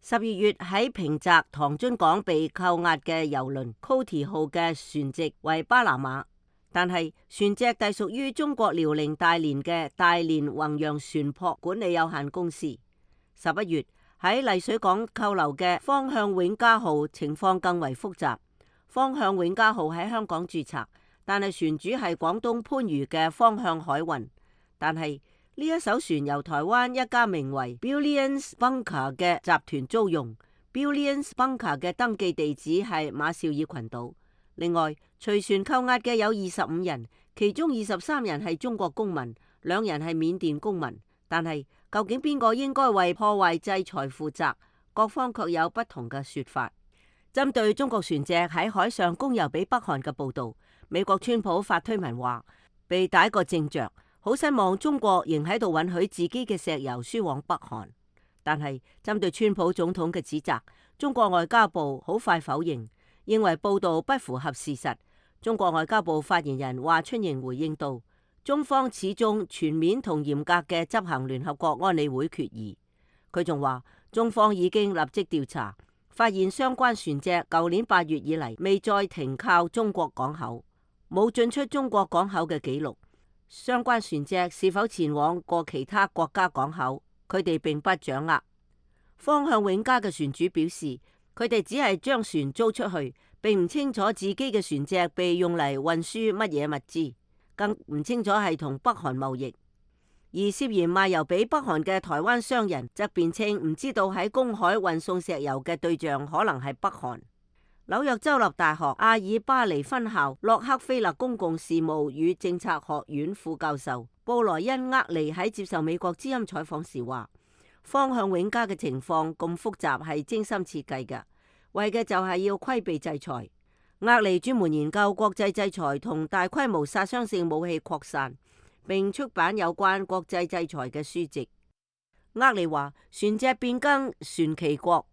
十二月喺平澤唐津港被扣押嘅油輪 Coty 號嘅船籍為巴拿馬，但係船隻隸屬於中國遼寧大連嘅大連宏洋船舶管理有限公司。十一月喺麗水港扣留嘅方向永嘉號情況更為複雜。方向永嘉號喺香港註冊，但係船主係廣東番禺嘅方向海運。但係呢一艘船由台灣一家名為 Billions Bunker 嘅集團租用。Billions Bunker 嘅登記地址係馬紹爾群島。另外，隨船扣押嘅有二十五人，其中二十三人係中國公民，兩人係緬甸公民。但係究竟邊個應該為破壞制裁負責？各方卻有不同嘅說法。針對中國船隻喺海上供油俾北韓嘅報導，美國川普發推文話：被逮個正着。好失望，中國仍喺度允許自己嘅石油輸往北韓。但係針對川普總統嘅指責，中國外交部好快否認，認為報道不符合事實。中國外交部發言人華春瑩回應道：中方始終全面同嚴格嘅執行聯合國安理會決議。佢仲話，中方已經立即調查，發現相關船隻舊年八月以嚟未再停靠中國港口，冇進出中國港口嘅記錄。相關船隻是否前往過其他國家港口，佢哋並不掌握。方向永嘉嘅船主表示，佢哋只係將船租出去，並唔清楚自己嘅船隻被用嚟運輸乜嘢物資，更唔清楚係同北韓貿易。而涉嫌賣油俾北韓嘅台灣商人則辯稱唔知道喺公海運送石油嘅對象可能係北韓。紐約州立大學阿爾巴尼分校洛克菲勒公共事務與政策學院副教授布萊恩厄利喺接受美國之音採訪時話：方向永嘉嘅情況咁複雜係精心設計嘅，為嘅就係要規避制裁。厄利專門研究國際制裁同大規模殺傷性武器擴散，並出版有關國際制裁嘅書籍。厄利話：船隻變更船旗國、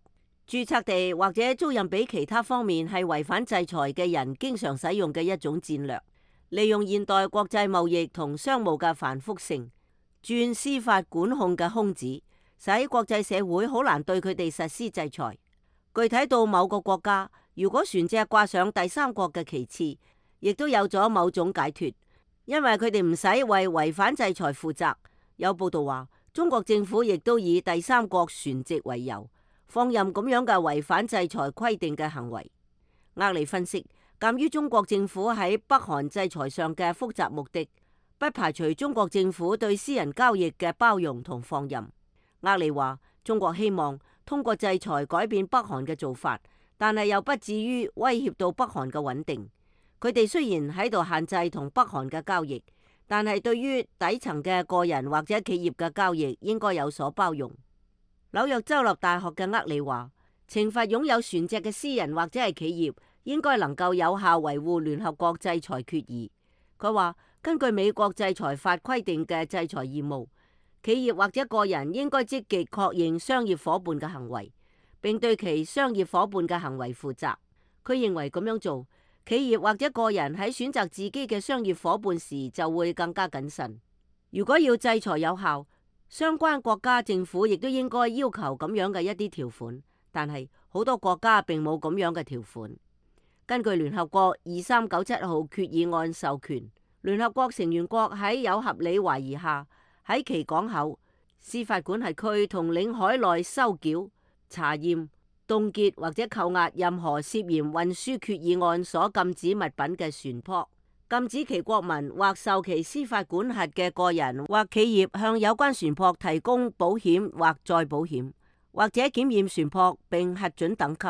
註冊地或者租賃俾其他方面係違反制裁嘅人經常使用嘅一種戰略，利用現代國際貿易同商務嘅繁複性，鑽司法管控嘅空子，使國際社會好難對佢哋實施制裁。具體到某個國家，如果船隻掛上第三國嘅旗幟，亦都有咗某種解脫，因為佢哋唔使為違反制裁負責。有報道話，中國政府亦都以第三國船籍為由，放任咁樣嘅違反制裁規定嘅行為。厄利分析，鑑於中國政府喺北韓制裁上嘅複雜目的，不排除中國政府對私人交易嘅包容同放任。厄利話，中國希望通過制裁改變北韓嘅做法，但係又不至於威脅到北韓嘅穩定。佢哋雖然喺度限制同北韓嘅交易，但係對於底層嘅個人或者企業嘅交易應該有所包容。紐約州立大學嘅厄利話，懲罰擁有船隻嘅私人或者係企業，應該能夠有效維護聯合國制裁決議。佢話，根據美國制裁法規定嘅制裁義務，企業或者個人應該積極確認商業夥伴嘅行為，並對其商業夥伴嘅行為負責。佢認為咁樣做，企業或者個人喺選擇自己嘅商業夥伴時就會更加謹慎。如果要制裁有效，相關國家政府亦都應該要求咁樣嘅一啲條款，但係好多國家並冇咁樣嘅條款。根據聯合國二三九七號決議案授權，聯合國成員國喺有合理懷疑下，喺其港口、司法管轄區同領海內收繳、查驗、凍結或者扣押任何涉嫌運輸決議案所禁止物品嘅船舶，禁止其國民或受其司法管轄嘅個人或企業向有關船舶提供保險或再保險，或者檢驗船舶並核准等級，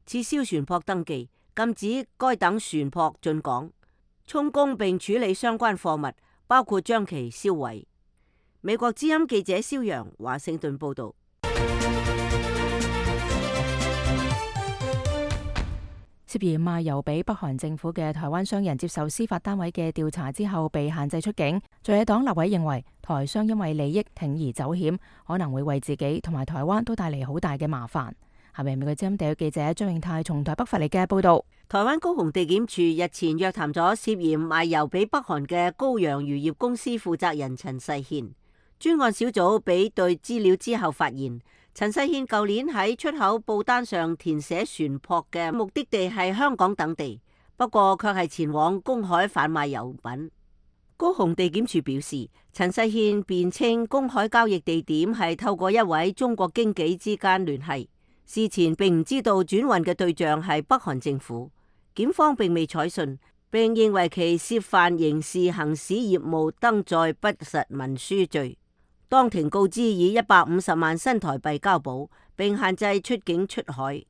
撤銷船舶登記，禁止該等船舶進港，充公並處理相關貨物，包括將其銷毀。美國之音記者蕭陽華盛頓報道。涉嫌賣油俾北韓政府嘅台灣商人接受司法單位嘅調查之後被限制出境。在野黨立委認為台商因為利益鋌而走險，可能會為自己同埋台灣都帶嚟好大嘅麻煩。下面美國之音地區記者張永泰從台北發嚟嘅報道。台灣高雄地檢署日前約談咗涉嫌賣油俾北韓嘅高陽漁業公司負責人陳世憲。專案小組比對資料之後發現，陳世憲舊年喺出口報單上填寫船舶嘅目的地係香港等地，不過卻係前往公海販賣油品。高雄地檢署表示，陳世憲辯稱公海交易地點係透過一位中國經紀之間聯繫，事前並唔知道轉運嘅對象係北韓政府。檢方並未採信，並認為其涉犯刑事行使業務登載不實文書罪。當庭告知以一百五十萬新台幣交保，並限制出境出海。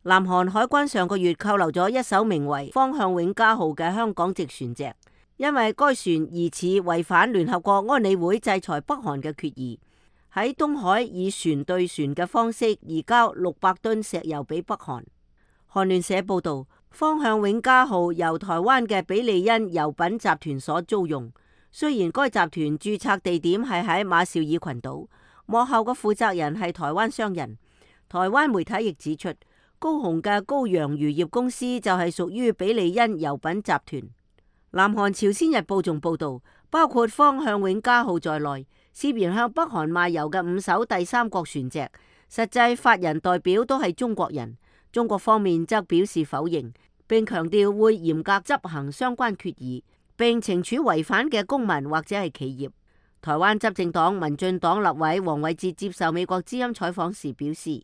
南韓海關上個月扣留咗一艘名為方向永嘉號嘅香港籍船隻，因為該船疑似違反聯合國安理會制裁北韓嘅決議，喺東海以船對船嘅方式移交六百噸石油俾北韓。韓聯社報道，方向永嘉號由台灣嘅比利恩油品集團所租用。雖然該集團註冊地點係喺馬紹爾群島，幕後嘅負責人係台灣商人。台灣媒體亦指出，高雄嘅高陽漁業公司就係屬於比利恩油品集團。南韓朝鮮日報仲報道，包括方向永嘉號在內，涉嫌向北韓賣油嘅五艘第三國船隻，實際法人代表都係中國人。中國方面則表示否認，並強調會嚴格執行相關決議，並懲處違反嘅公民或者係企業。台灣執政黨民進黨立委黃偉哲接受美國之音採訪時表示，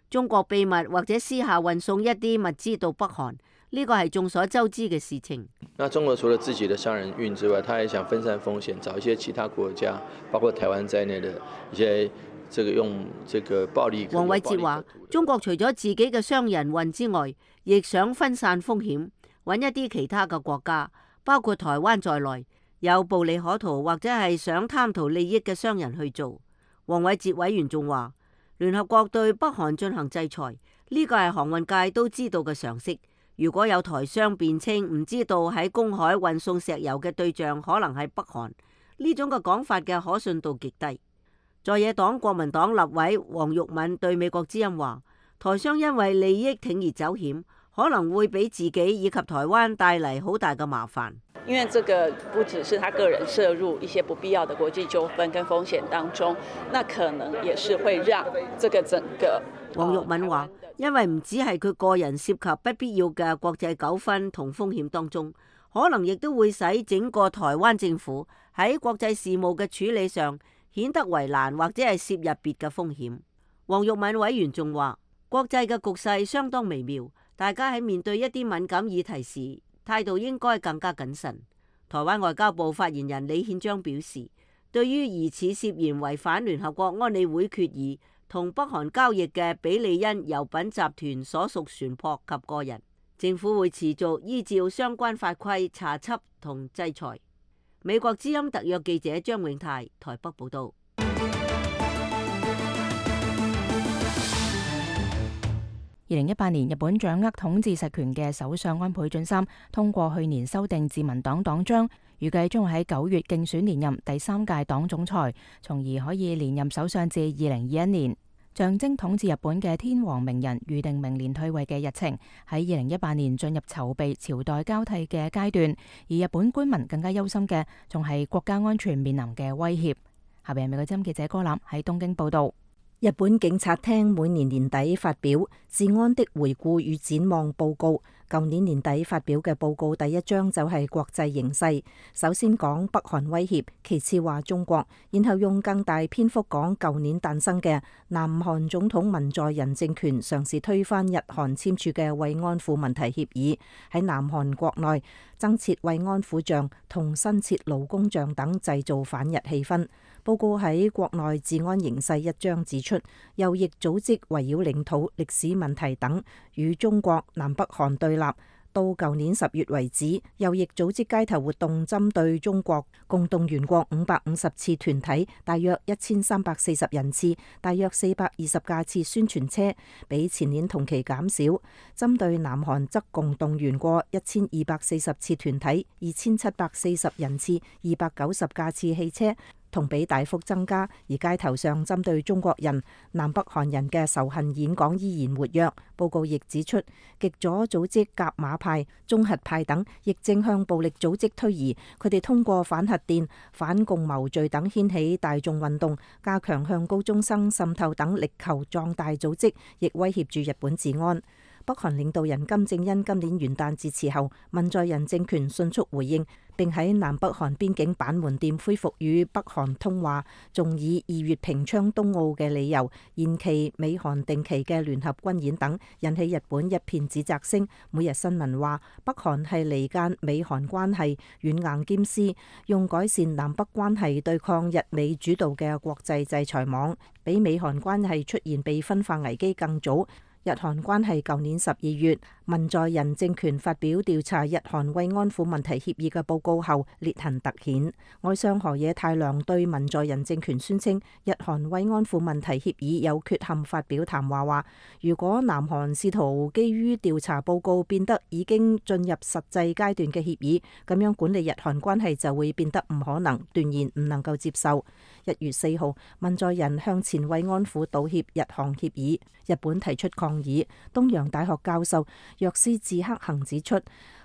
中國秘密或者私下運送一啲物資到北韓，呢個係眾所周知嘅事情。那中國除了自己的商人運之外，他也想分散風險，找一些其他國家，包括台灣在內的一些這個用這個暴力。黃偉哲話，中國除咗自己嘅商人運之外，亦想分散風險，揾一啲其他嘅國家，包括台灣在內，有暴利可圖或者係想貪圖利益嘅商人去做。黃偉哲委員仲話，聯合國對北韓進行制裁，呢個係航運界都知道嘅常識。如果有台商辯稱唔知道喺公海運送石油嘅對象可能係北韓，呢種嘅講法嘅可信度極低。在野黨國民黨立委黃玉敏對美國之音話，台商因為利益鋌而走險，可能會俾自己以及台灣帶嚟好大嘅麻煩。因為這個不只是他個人涉入一些不必要的國際糾紛跟風險當中，那可能也是會讓這個整個。黃玉敏話，因為唔只係佢個人涉及不必要嘅國際糾紛同風險當中，可能亦都會使整個台灣政府喺國際事務嘅處理上顯得為難，或者係涉入別嘅風險。黃玉敏委員仲話，國際嘅局勢相當微妙，大家喺面對一啲敏感議題時，態度應該更加謹慎。台灣外交部發言人李憲章表示，對於疑似涉嫌違反聯合國安理會決議同北韓交易嘅比利恩油品集團所屬船舶及個人，政府會持續依照相關法規查緝同制裁。美國之音特約記者張永泰台北報道。二零一八年，日本掌握統治實權嘅首相安倍晉三通過去年修訂自民黨黨章，預計將會喺九月競選連任第三屆黨總裁，從而可以連任首相至二零二一年。象徵統治日本嘅天皇明仁預定明年退位嘅日程，喺二零一八年進入籌備朝代交替嘅階段，而日本官民更加憂心嘅仲係國家安全面臨嘅威脅。下邊係美國之音記者柯南喺東京報道。日本警察廳每年年底發表治安的回顧與展望報告，舊年年底發表嘅報告第一章就係國際形勢，首先講北韓威脅，其次話中國，然後用更大篇幅講舊年誕生嘅南韓總統文在寅政權嘗試推翻日韓簽署嘅慰安婦問題協議，喺南韓國內增設慰安婦像同新設勞工像等，製造反日氣氛。報告喺國內治安形勢一章指出，右翼組織圍繞領土、歷史問題等與中國、南北韓對立。到舊年十月為止，右翼組織街頭活動針對中國共動員過五百五十次團體，大約一千三百四十人次，大約四百二十架次宣傳車，比前年同期減少。針對南韓則共動員過一千二百四十次團體，二千七百四十人次，二百九十架次汽車，同比大幅增加。而街頭上針對中國人、南北韓人嘅仇恨演講依然活躍。報告亦指出，極左組織甲馬派、中核派等亦正向暴力組織推移，佢哋通過反核電、反共謀罪等掀起大眾運動，加強向高中生滲透等，力求壯大組織，亦威脅住日本治安。北韓領導人金正恩今年元旦致辭後，文在寅政權迅速回應，並喺南北韓邊境板門店恢復與北韓通話，仲以二月平昌冬奧嘅理由延期美韓定期嘅聯合軍演等，引起日本一片指責聲。每日新聞話北韓係離間美韓關係，軟硬兼施，用改善南北關係對抗日美主導嘅國際制裁網，比美韓關係出現被分化危機更早。日韓關係舊年十二月，文在寅政權發表調查日韓慰安婦問題協議嘅報告後，裂痕突顯。外相河野太郎對文在寅政權宣稱日韓慰安婦問題協議有缺陷發表談話，話如果南韓試圖基於調查報告變得已經進入實際階段嘅協議，咁樣管理日韓關係就會變得唔可能，斷言唔能夠接受。一月四號，文在寅向前慰安婦道歉日韓協議，日本提出抗議。東洋大學教授若斯志克行指出，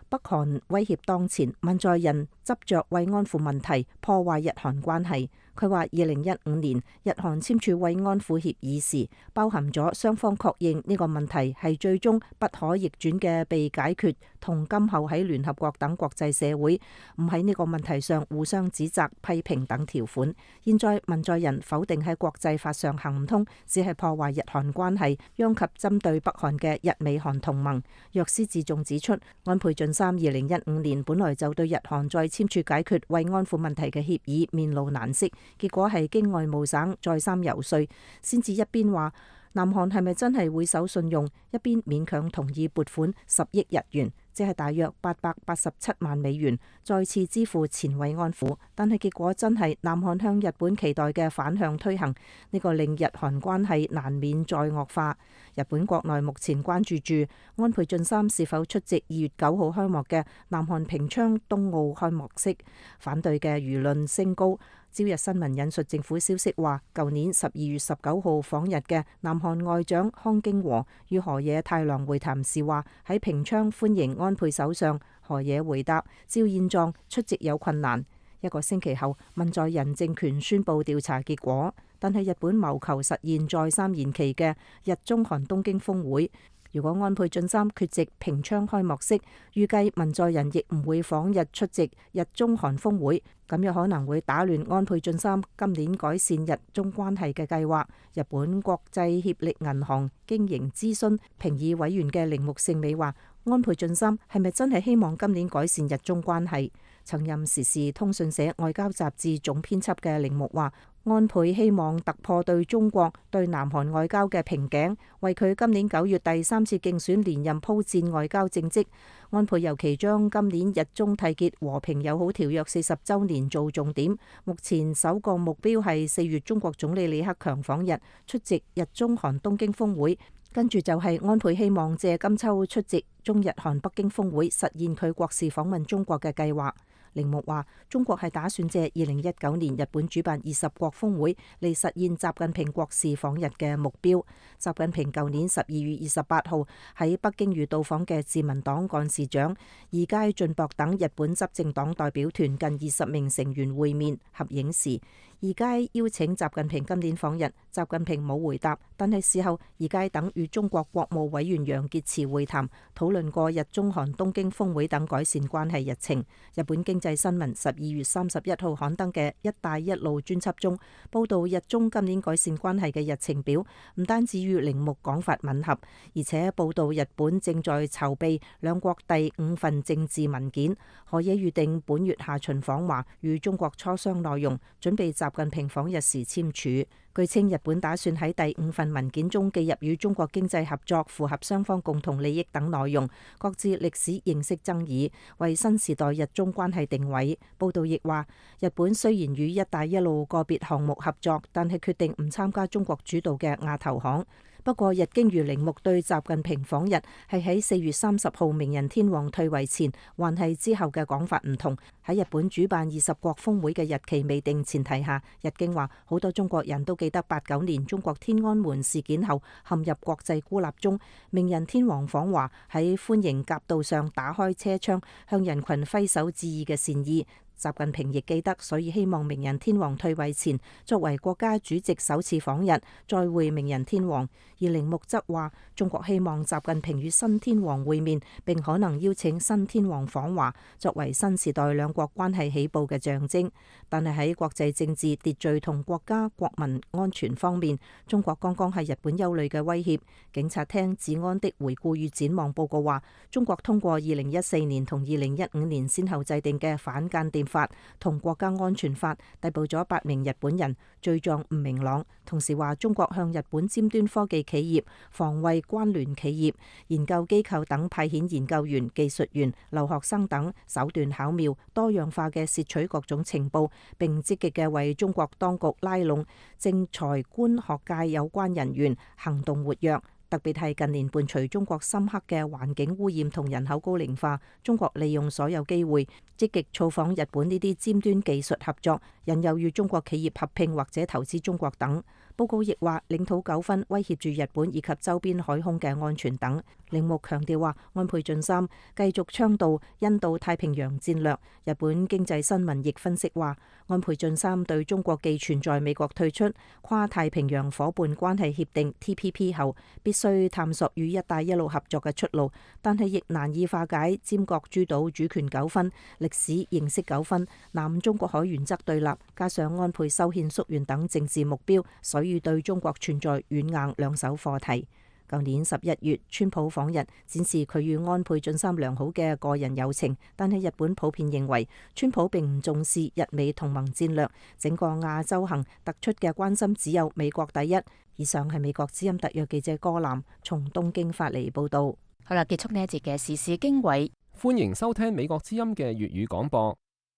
北韓威脅當前，文在寅執着慰安婦問題破壞日韓關係。佢話：二零一五年日韓簽署慰安婦協議時，包含咗雙方確認呢個問題係最終不可逆轉嘅被解決，同今後喺聯合國等國際社會唔喺呢個問題上互相指責、批評等條款。現在文在寅否定喺國際法上行唔通，只係破壞日韓關係，殃及針對北韓嘅日美韓同盟。若斯自仲指出，安倍晉三二零一五年本來就對日韓再簽署解決慰安婦問題嘅協議面露難色。結果係經外務省再三游說，先至一邊話南韓係咪真係會守信用，一邊勉強同意撥款十億日元，即係大約八百八十七萬美元，再次支付前慰安婦。但係結果真係南韓向日本期待嘅反向推行，呢個令日韓關係難免再惡化。日本國內目前關注住安倍晉三是否出席二月九號開幕嘅南韓平昌冬奧開幕式，反對嘅輿論升高。朝日新聞引述政府消息話，舊年十二月十九號訪日嘅南韓外長康京和與河野太郎會談時話，喺平昌歡迎安倍首相。河野回答：照現狀出席有困難。一個星期後，文在寅政權宣布調查結果，但係日本謀求實現再三延期嘅日中韓東京峰會。如果安倍晉三缺席平昌開幕式，預計文在寅亦唔會訪日出席日中韓峰會，咁有可能會打亂安倍晉三今年改善日中關係嘅計劃。日本國際協力銀行經營諮詢評議委員嘅鈴木聖美話：安倍晉三係咪真係希望今年改善日中關係？曾任時事通訊社外交雜誌總編輯嘅鈴木話：安倍希望突破對中國對南韓外交嘅瓶頸，為佢今年九月第三次競選連任鋪墊外交政績。安倍尤其將今年日中締結和平友好條約四十週年做重點。目前首個目標係四月中國總理李克強訪日出席日中韓東京峰會，跟住就係安倍希望借今秋出席中日韓北京峰會，實現佢國事訪問中國嘅計劃。鈴木話：中國係打算借二零一九年日本主辦二十國峰會嚟實現習近平國事訪日嘅目標。習近平舊年十二月二十八號喺北京與到訪嘅自民黨幹事長二階俊博等日本執政黨代表團近二十名成員會面合影時，二階邀請習近平今年訪日，習近平冇回答。但係事後，二階等與中國國務委員楊潔篪會談，討論過日中韓東京峰會等改善關係日程。日本經濟新聞十二月三十一號刊登嘅「一帶一路」專輯中，報道日中今年改善關係嘅日程表，唔單止與鈴木講法吻合，而且報道日本正在籌備兩國第五份政治文件，河野預定本月下旬訪華，與中國磋商內容，準備習近平訪日時簽署。據稱，日本打算喺第五份文件中記入與中國經濟合作、符合雙方共同利益等內容，各自歷史認識爭議，為新時代日中關係定位。報道亦話，日本雖然與一帶一路個別項目合作，但係決定唔參加中國主導嘅亞投行。不過，日經與鈴木對習近平訪日係喺四月三十號明仁天皇退位前，還係之後嘅講法唔同。喺日本主辦二十國峰會嘅日期未定前提下，日經話好多中國人都記得八九年中國天安門事件後陷入國際孤立中，明仁天皇訪華喺歡迎夾道上打開車窗向人群揮手致意嘅善意。習近平亦記得，所以希望明仁天皇退位前，作為國家主席首次訪日，再會明仁天皇。而鈴木則話，中國希望習近平與新天皇會面，並可能邀請新天皇訪華，作為新時代兩國關係起步嘅象徵。但係喺國際政治秩序同國家國民安全方面，中國剛剛係日本憂慮嘅威脅。警察廳治安的回顧與展望報告話，中國通過二零一四年同二零一五年先後制定嘅反間諜法同國家安全法逮捕咗八名日本人，罪狀唔明朗。同時話，中國向日本尖端科技企業、防衛關聯企業、研究機構等派遣研究員、技術員、留學生等，手段巧妙、多樣化嘅竊取各種情報，並積極嘅為中國當局拉攏政財官學界有關人員，行動活躍。特別係近年伴隨中國深刻嘅環境污染同人口高齡化，中國利用所有機會積極造訪日本呢啲尖端技術合作，引誘與中國企業合併或者投資中國等。報告亦話，領土糾紛威脅住日本以及周邊海空嘅安全等。鈴木強調話，安倍晉三繼續倡導印度太平洋戰略。日本經濟新聞亦分析話，安倍晉三對中國既存在美國退出跨太平洋夥伴關係協定 T P P 後，必須探索與一帶一路合作嘅出路，但係亦難以化解尖閣諸島主權糾紛、歷史認識糾紛、南中國海原則對立，加上安倍修憲縮員等政治目標，所以對中國存在軟硬兩手課題。舊年十一月，川普訪日，展示佢與安倍晉三良好嘅個人友情，但係日本普遍認為川普並唔重視日美同盟戰略，整個亞洲行突出嘅關心只有美國第一。以上係美國之音特約記者柯南從東京發嚟報道。好啦，結束呢一節嘅時事經緯，歡迎收聽美國之音嘅粵語廣播。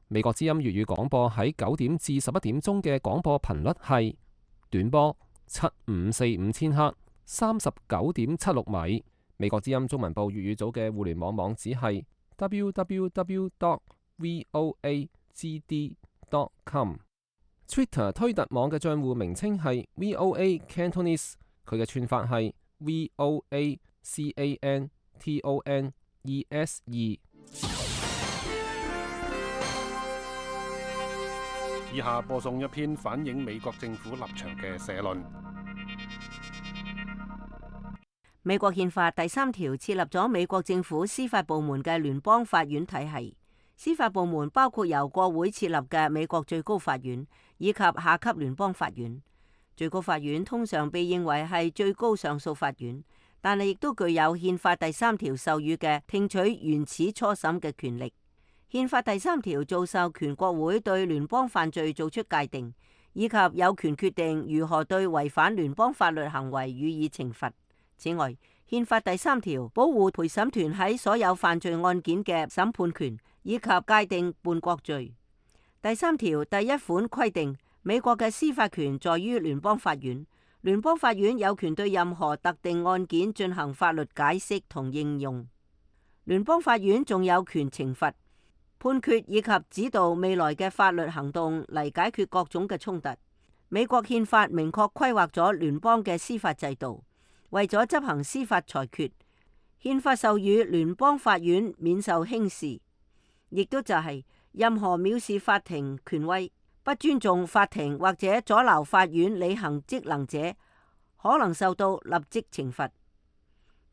美國之音粵語廣播喺九點至十一點鐘嘅廣播頻率係短波七五四五千赫，三十九點七六米。美國之音中文部粵語組嘅互聯網網址係 double u double u double u dot voa g d dot com。Twitter 推特網嘅帳戶名稱係 V O A Cantonese， 佢嘅串法係 V O A C A N T O N E S E。以下播送一篇反映美國政府立場嘅社論。美國憲法第三條設立咗美國政府司法部門嘅聯邦法院體系。司法部門包括由國會設立嘅美國最高法院以及下級聯邦法院。最高法院通常被認為係最高上訴法院，但係亦都具有憲法第三條授予嘅聽取原始初審嘅權力。憲法第三條做授權國會對聯邦犯罪做出界定，以及有權決定如何對違反聯邦法律行為予以懲罰。此外，憲法第三條保護陪審團喺所有犯罪案件嘅審判權，以及界定叛國罪。第三條第一款規定，美國嘅司法權在於聯邦法院，聯邦法院有權對任何特定案件進行法律解釋同應用。聯邦法院仲有權懲罰、判決以及指導未來嘅法律行動嚟解決各種嘅衝突。美國憲法明確規劃咗聯邦嘅司法制度，為咗執行司法裁決，憲法授予聯邦法院免受輕視，亦都就係任何藐視法庭權威、不尊重法庭或者阻撓法院履行職能者，可能受到立即懲罰。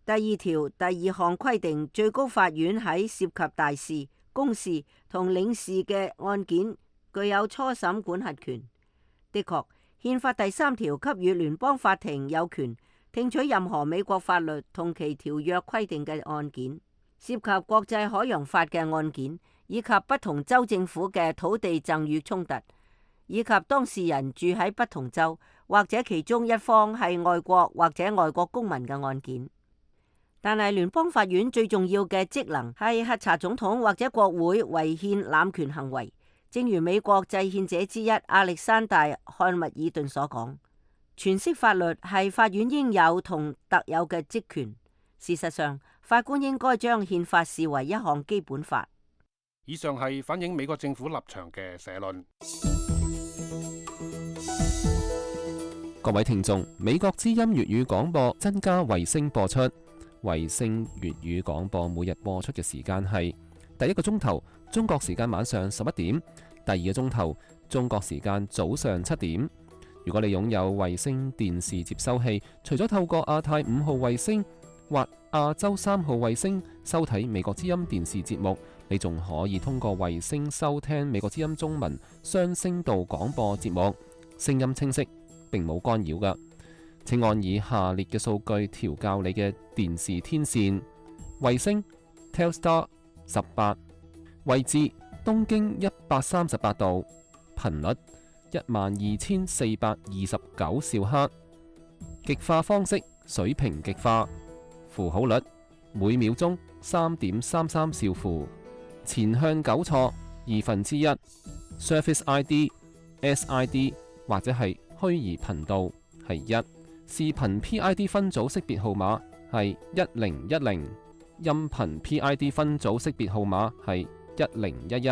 第二條第二項規定，最高法院喺涉及大事、公事同領事嘅案件具有初審管轄權。的確，憲法第三條給予聯邦法庭有權聽取任何美國法律同其條約規定嘅案件，涉及國際海洋法嘅案件，以及不同州政府嘅土地贈與衝突，以及當事人住喺不同州或者其中一方係外國或者外國公民嘅案件。但係聯邦法院最重要嘅職能係核查總統或者國會違憲濫權行為。正如美國制憲者之一亞歷山大·漢密爾頓所講，詮釋法律係法院應有同特有嘅職權。事實上，法官應該將憲法視為一項基本法。以上係反映美國政府立場嘅社論。各位聽眾，美國之音粵語廣播增加衛星播出。衛星粵語廣播每日播出嘅時間係第一個鐘頭中國時間晚上十一點，第二個鐘頭中國時間早上七點。如果你擁有衛星電視接收器，除咗透過亞太五號衛星或亞洲三號衛星收睇美國之音電視節目，你仲可以通過衛星收聽美國之音中文雙聲道廣播節目，聲音清晰，並冇干擾㗎。請按以下列嘅數據調校你嘅電視天線：衛星 Telstar 十八，位置東經一百三十八度，頻率一萬二千四百二十九兆赫，極化方式水平極化，符號率每秒鐘三點三三兆符，前向糾錯二分之一 ，Surface I D、S I D 或者係虛擬頻道係一。視頻 P I D 分組識別號碼係一零一零，音頻 P I D 分組識別號碼係一零一一。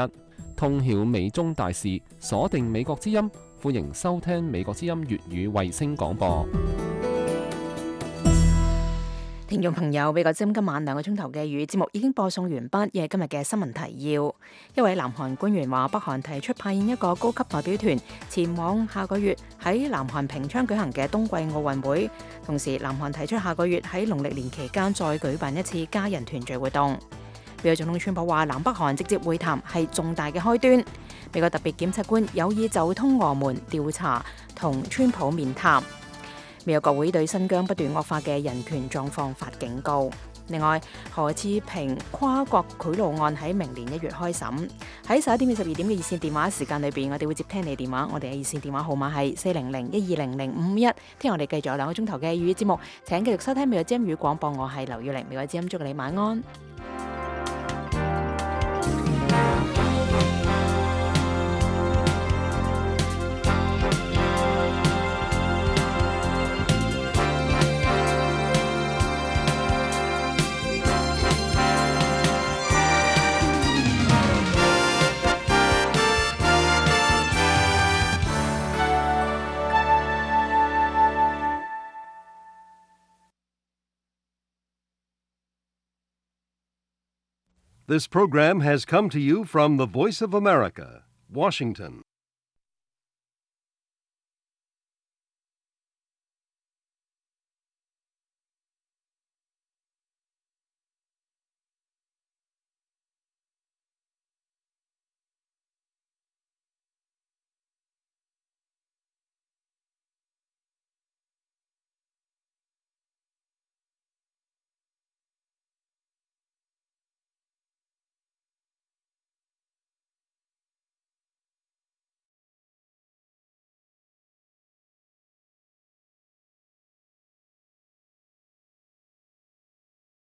通曉美中大事，鎖定美國之音，歡迎收聽美國之音粵語衛星廣播。聽眾朋友，美國之音今晚兩個鐘頭嘅粵語節目已經播送完畢，亦係今日嘅新聞提要。一位南韓官員話，北韓提出派遣一個高級代表團前往下個月喺南韓平昌舉行嘅冬季奧運會，同時南韓提出下個月喺農曆年期間再舉辦一次家人團聚活動。美國總統川普話，南北韓直接會談係重大嘅開端。美國特別檢察官有意就通俄門調查同川普面談。美國國會對新疆不斷惡化嘅人權狀況發警告。另外，何志平跨國賄賂案喺明年一月開審。喺十一點至十二點嘅熱線電話時間裏邊，我哋會接聽你電話。我哋嘅熱線電話號碼係四零零一二零零五五一。聽我哋繼續有兩個鐘頭嘅粵語節目，請繼續收聽美國之音粵語廣播。我係劉耀玲，美國之音祝你晚安。This program has come to you from the Voice of America, Washington.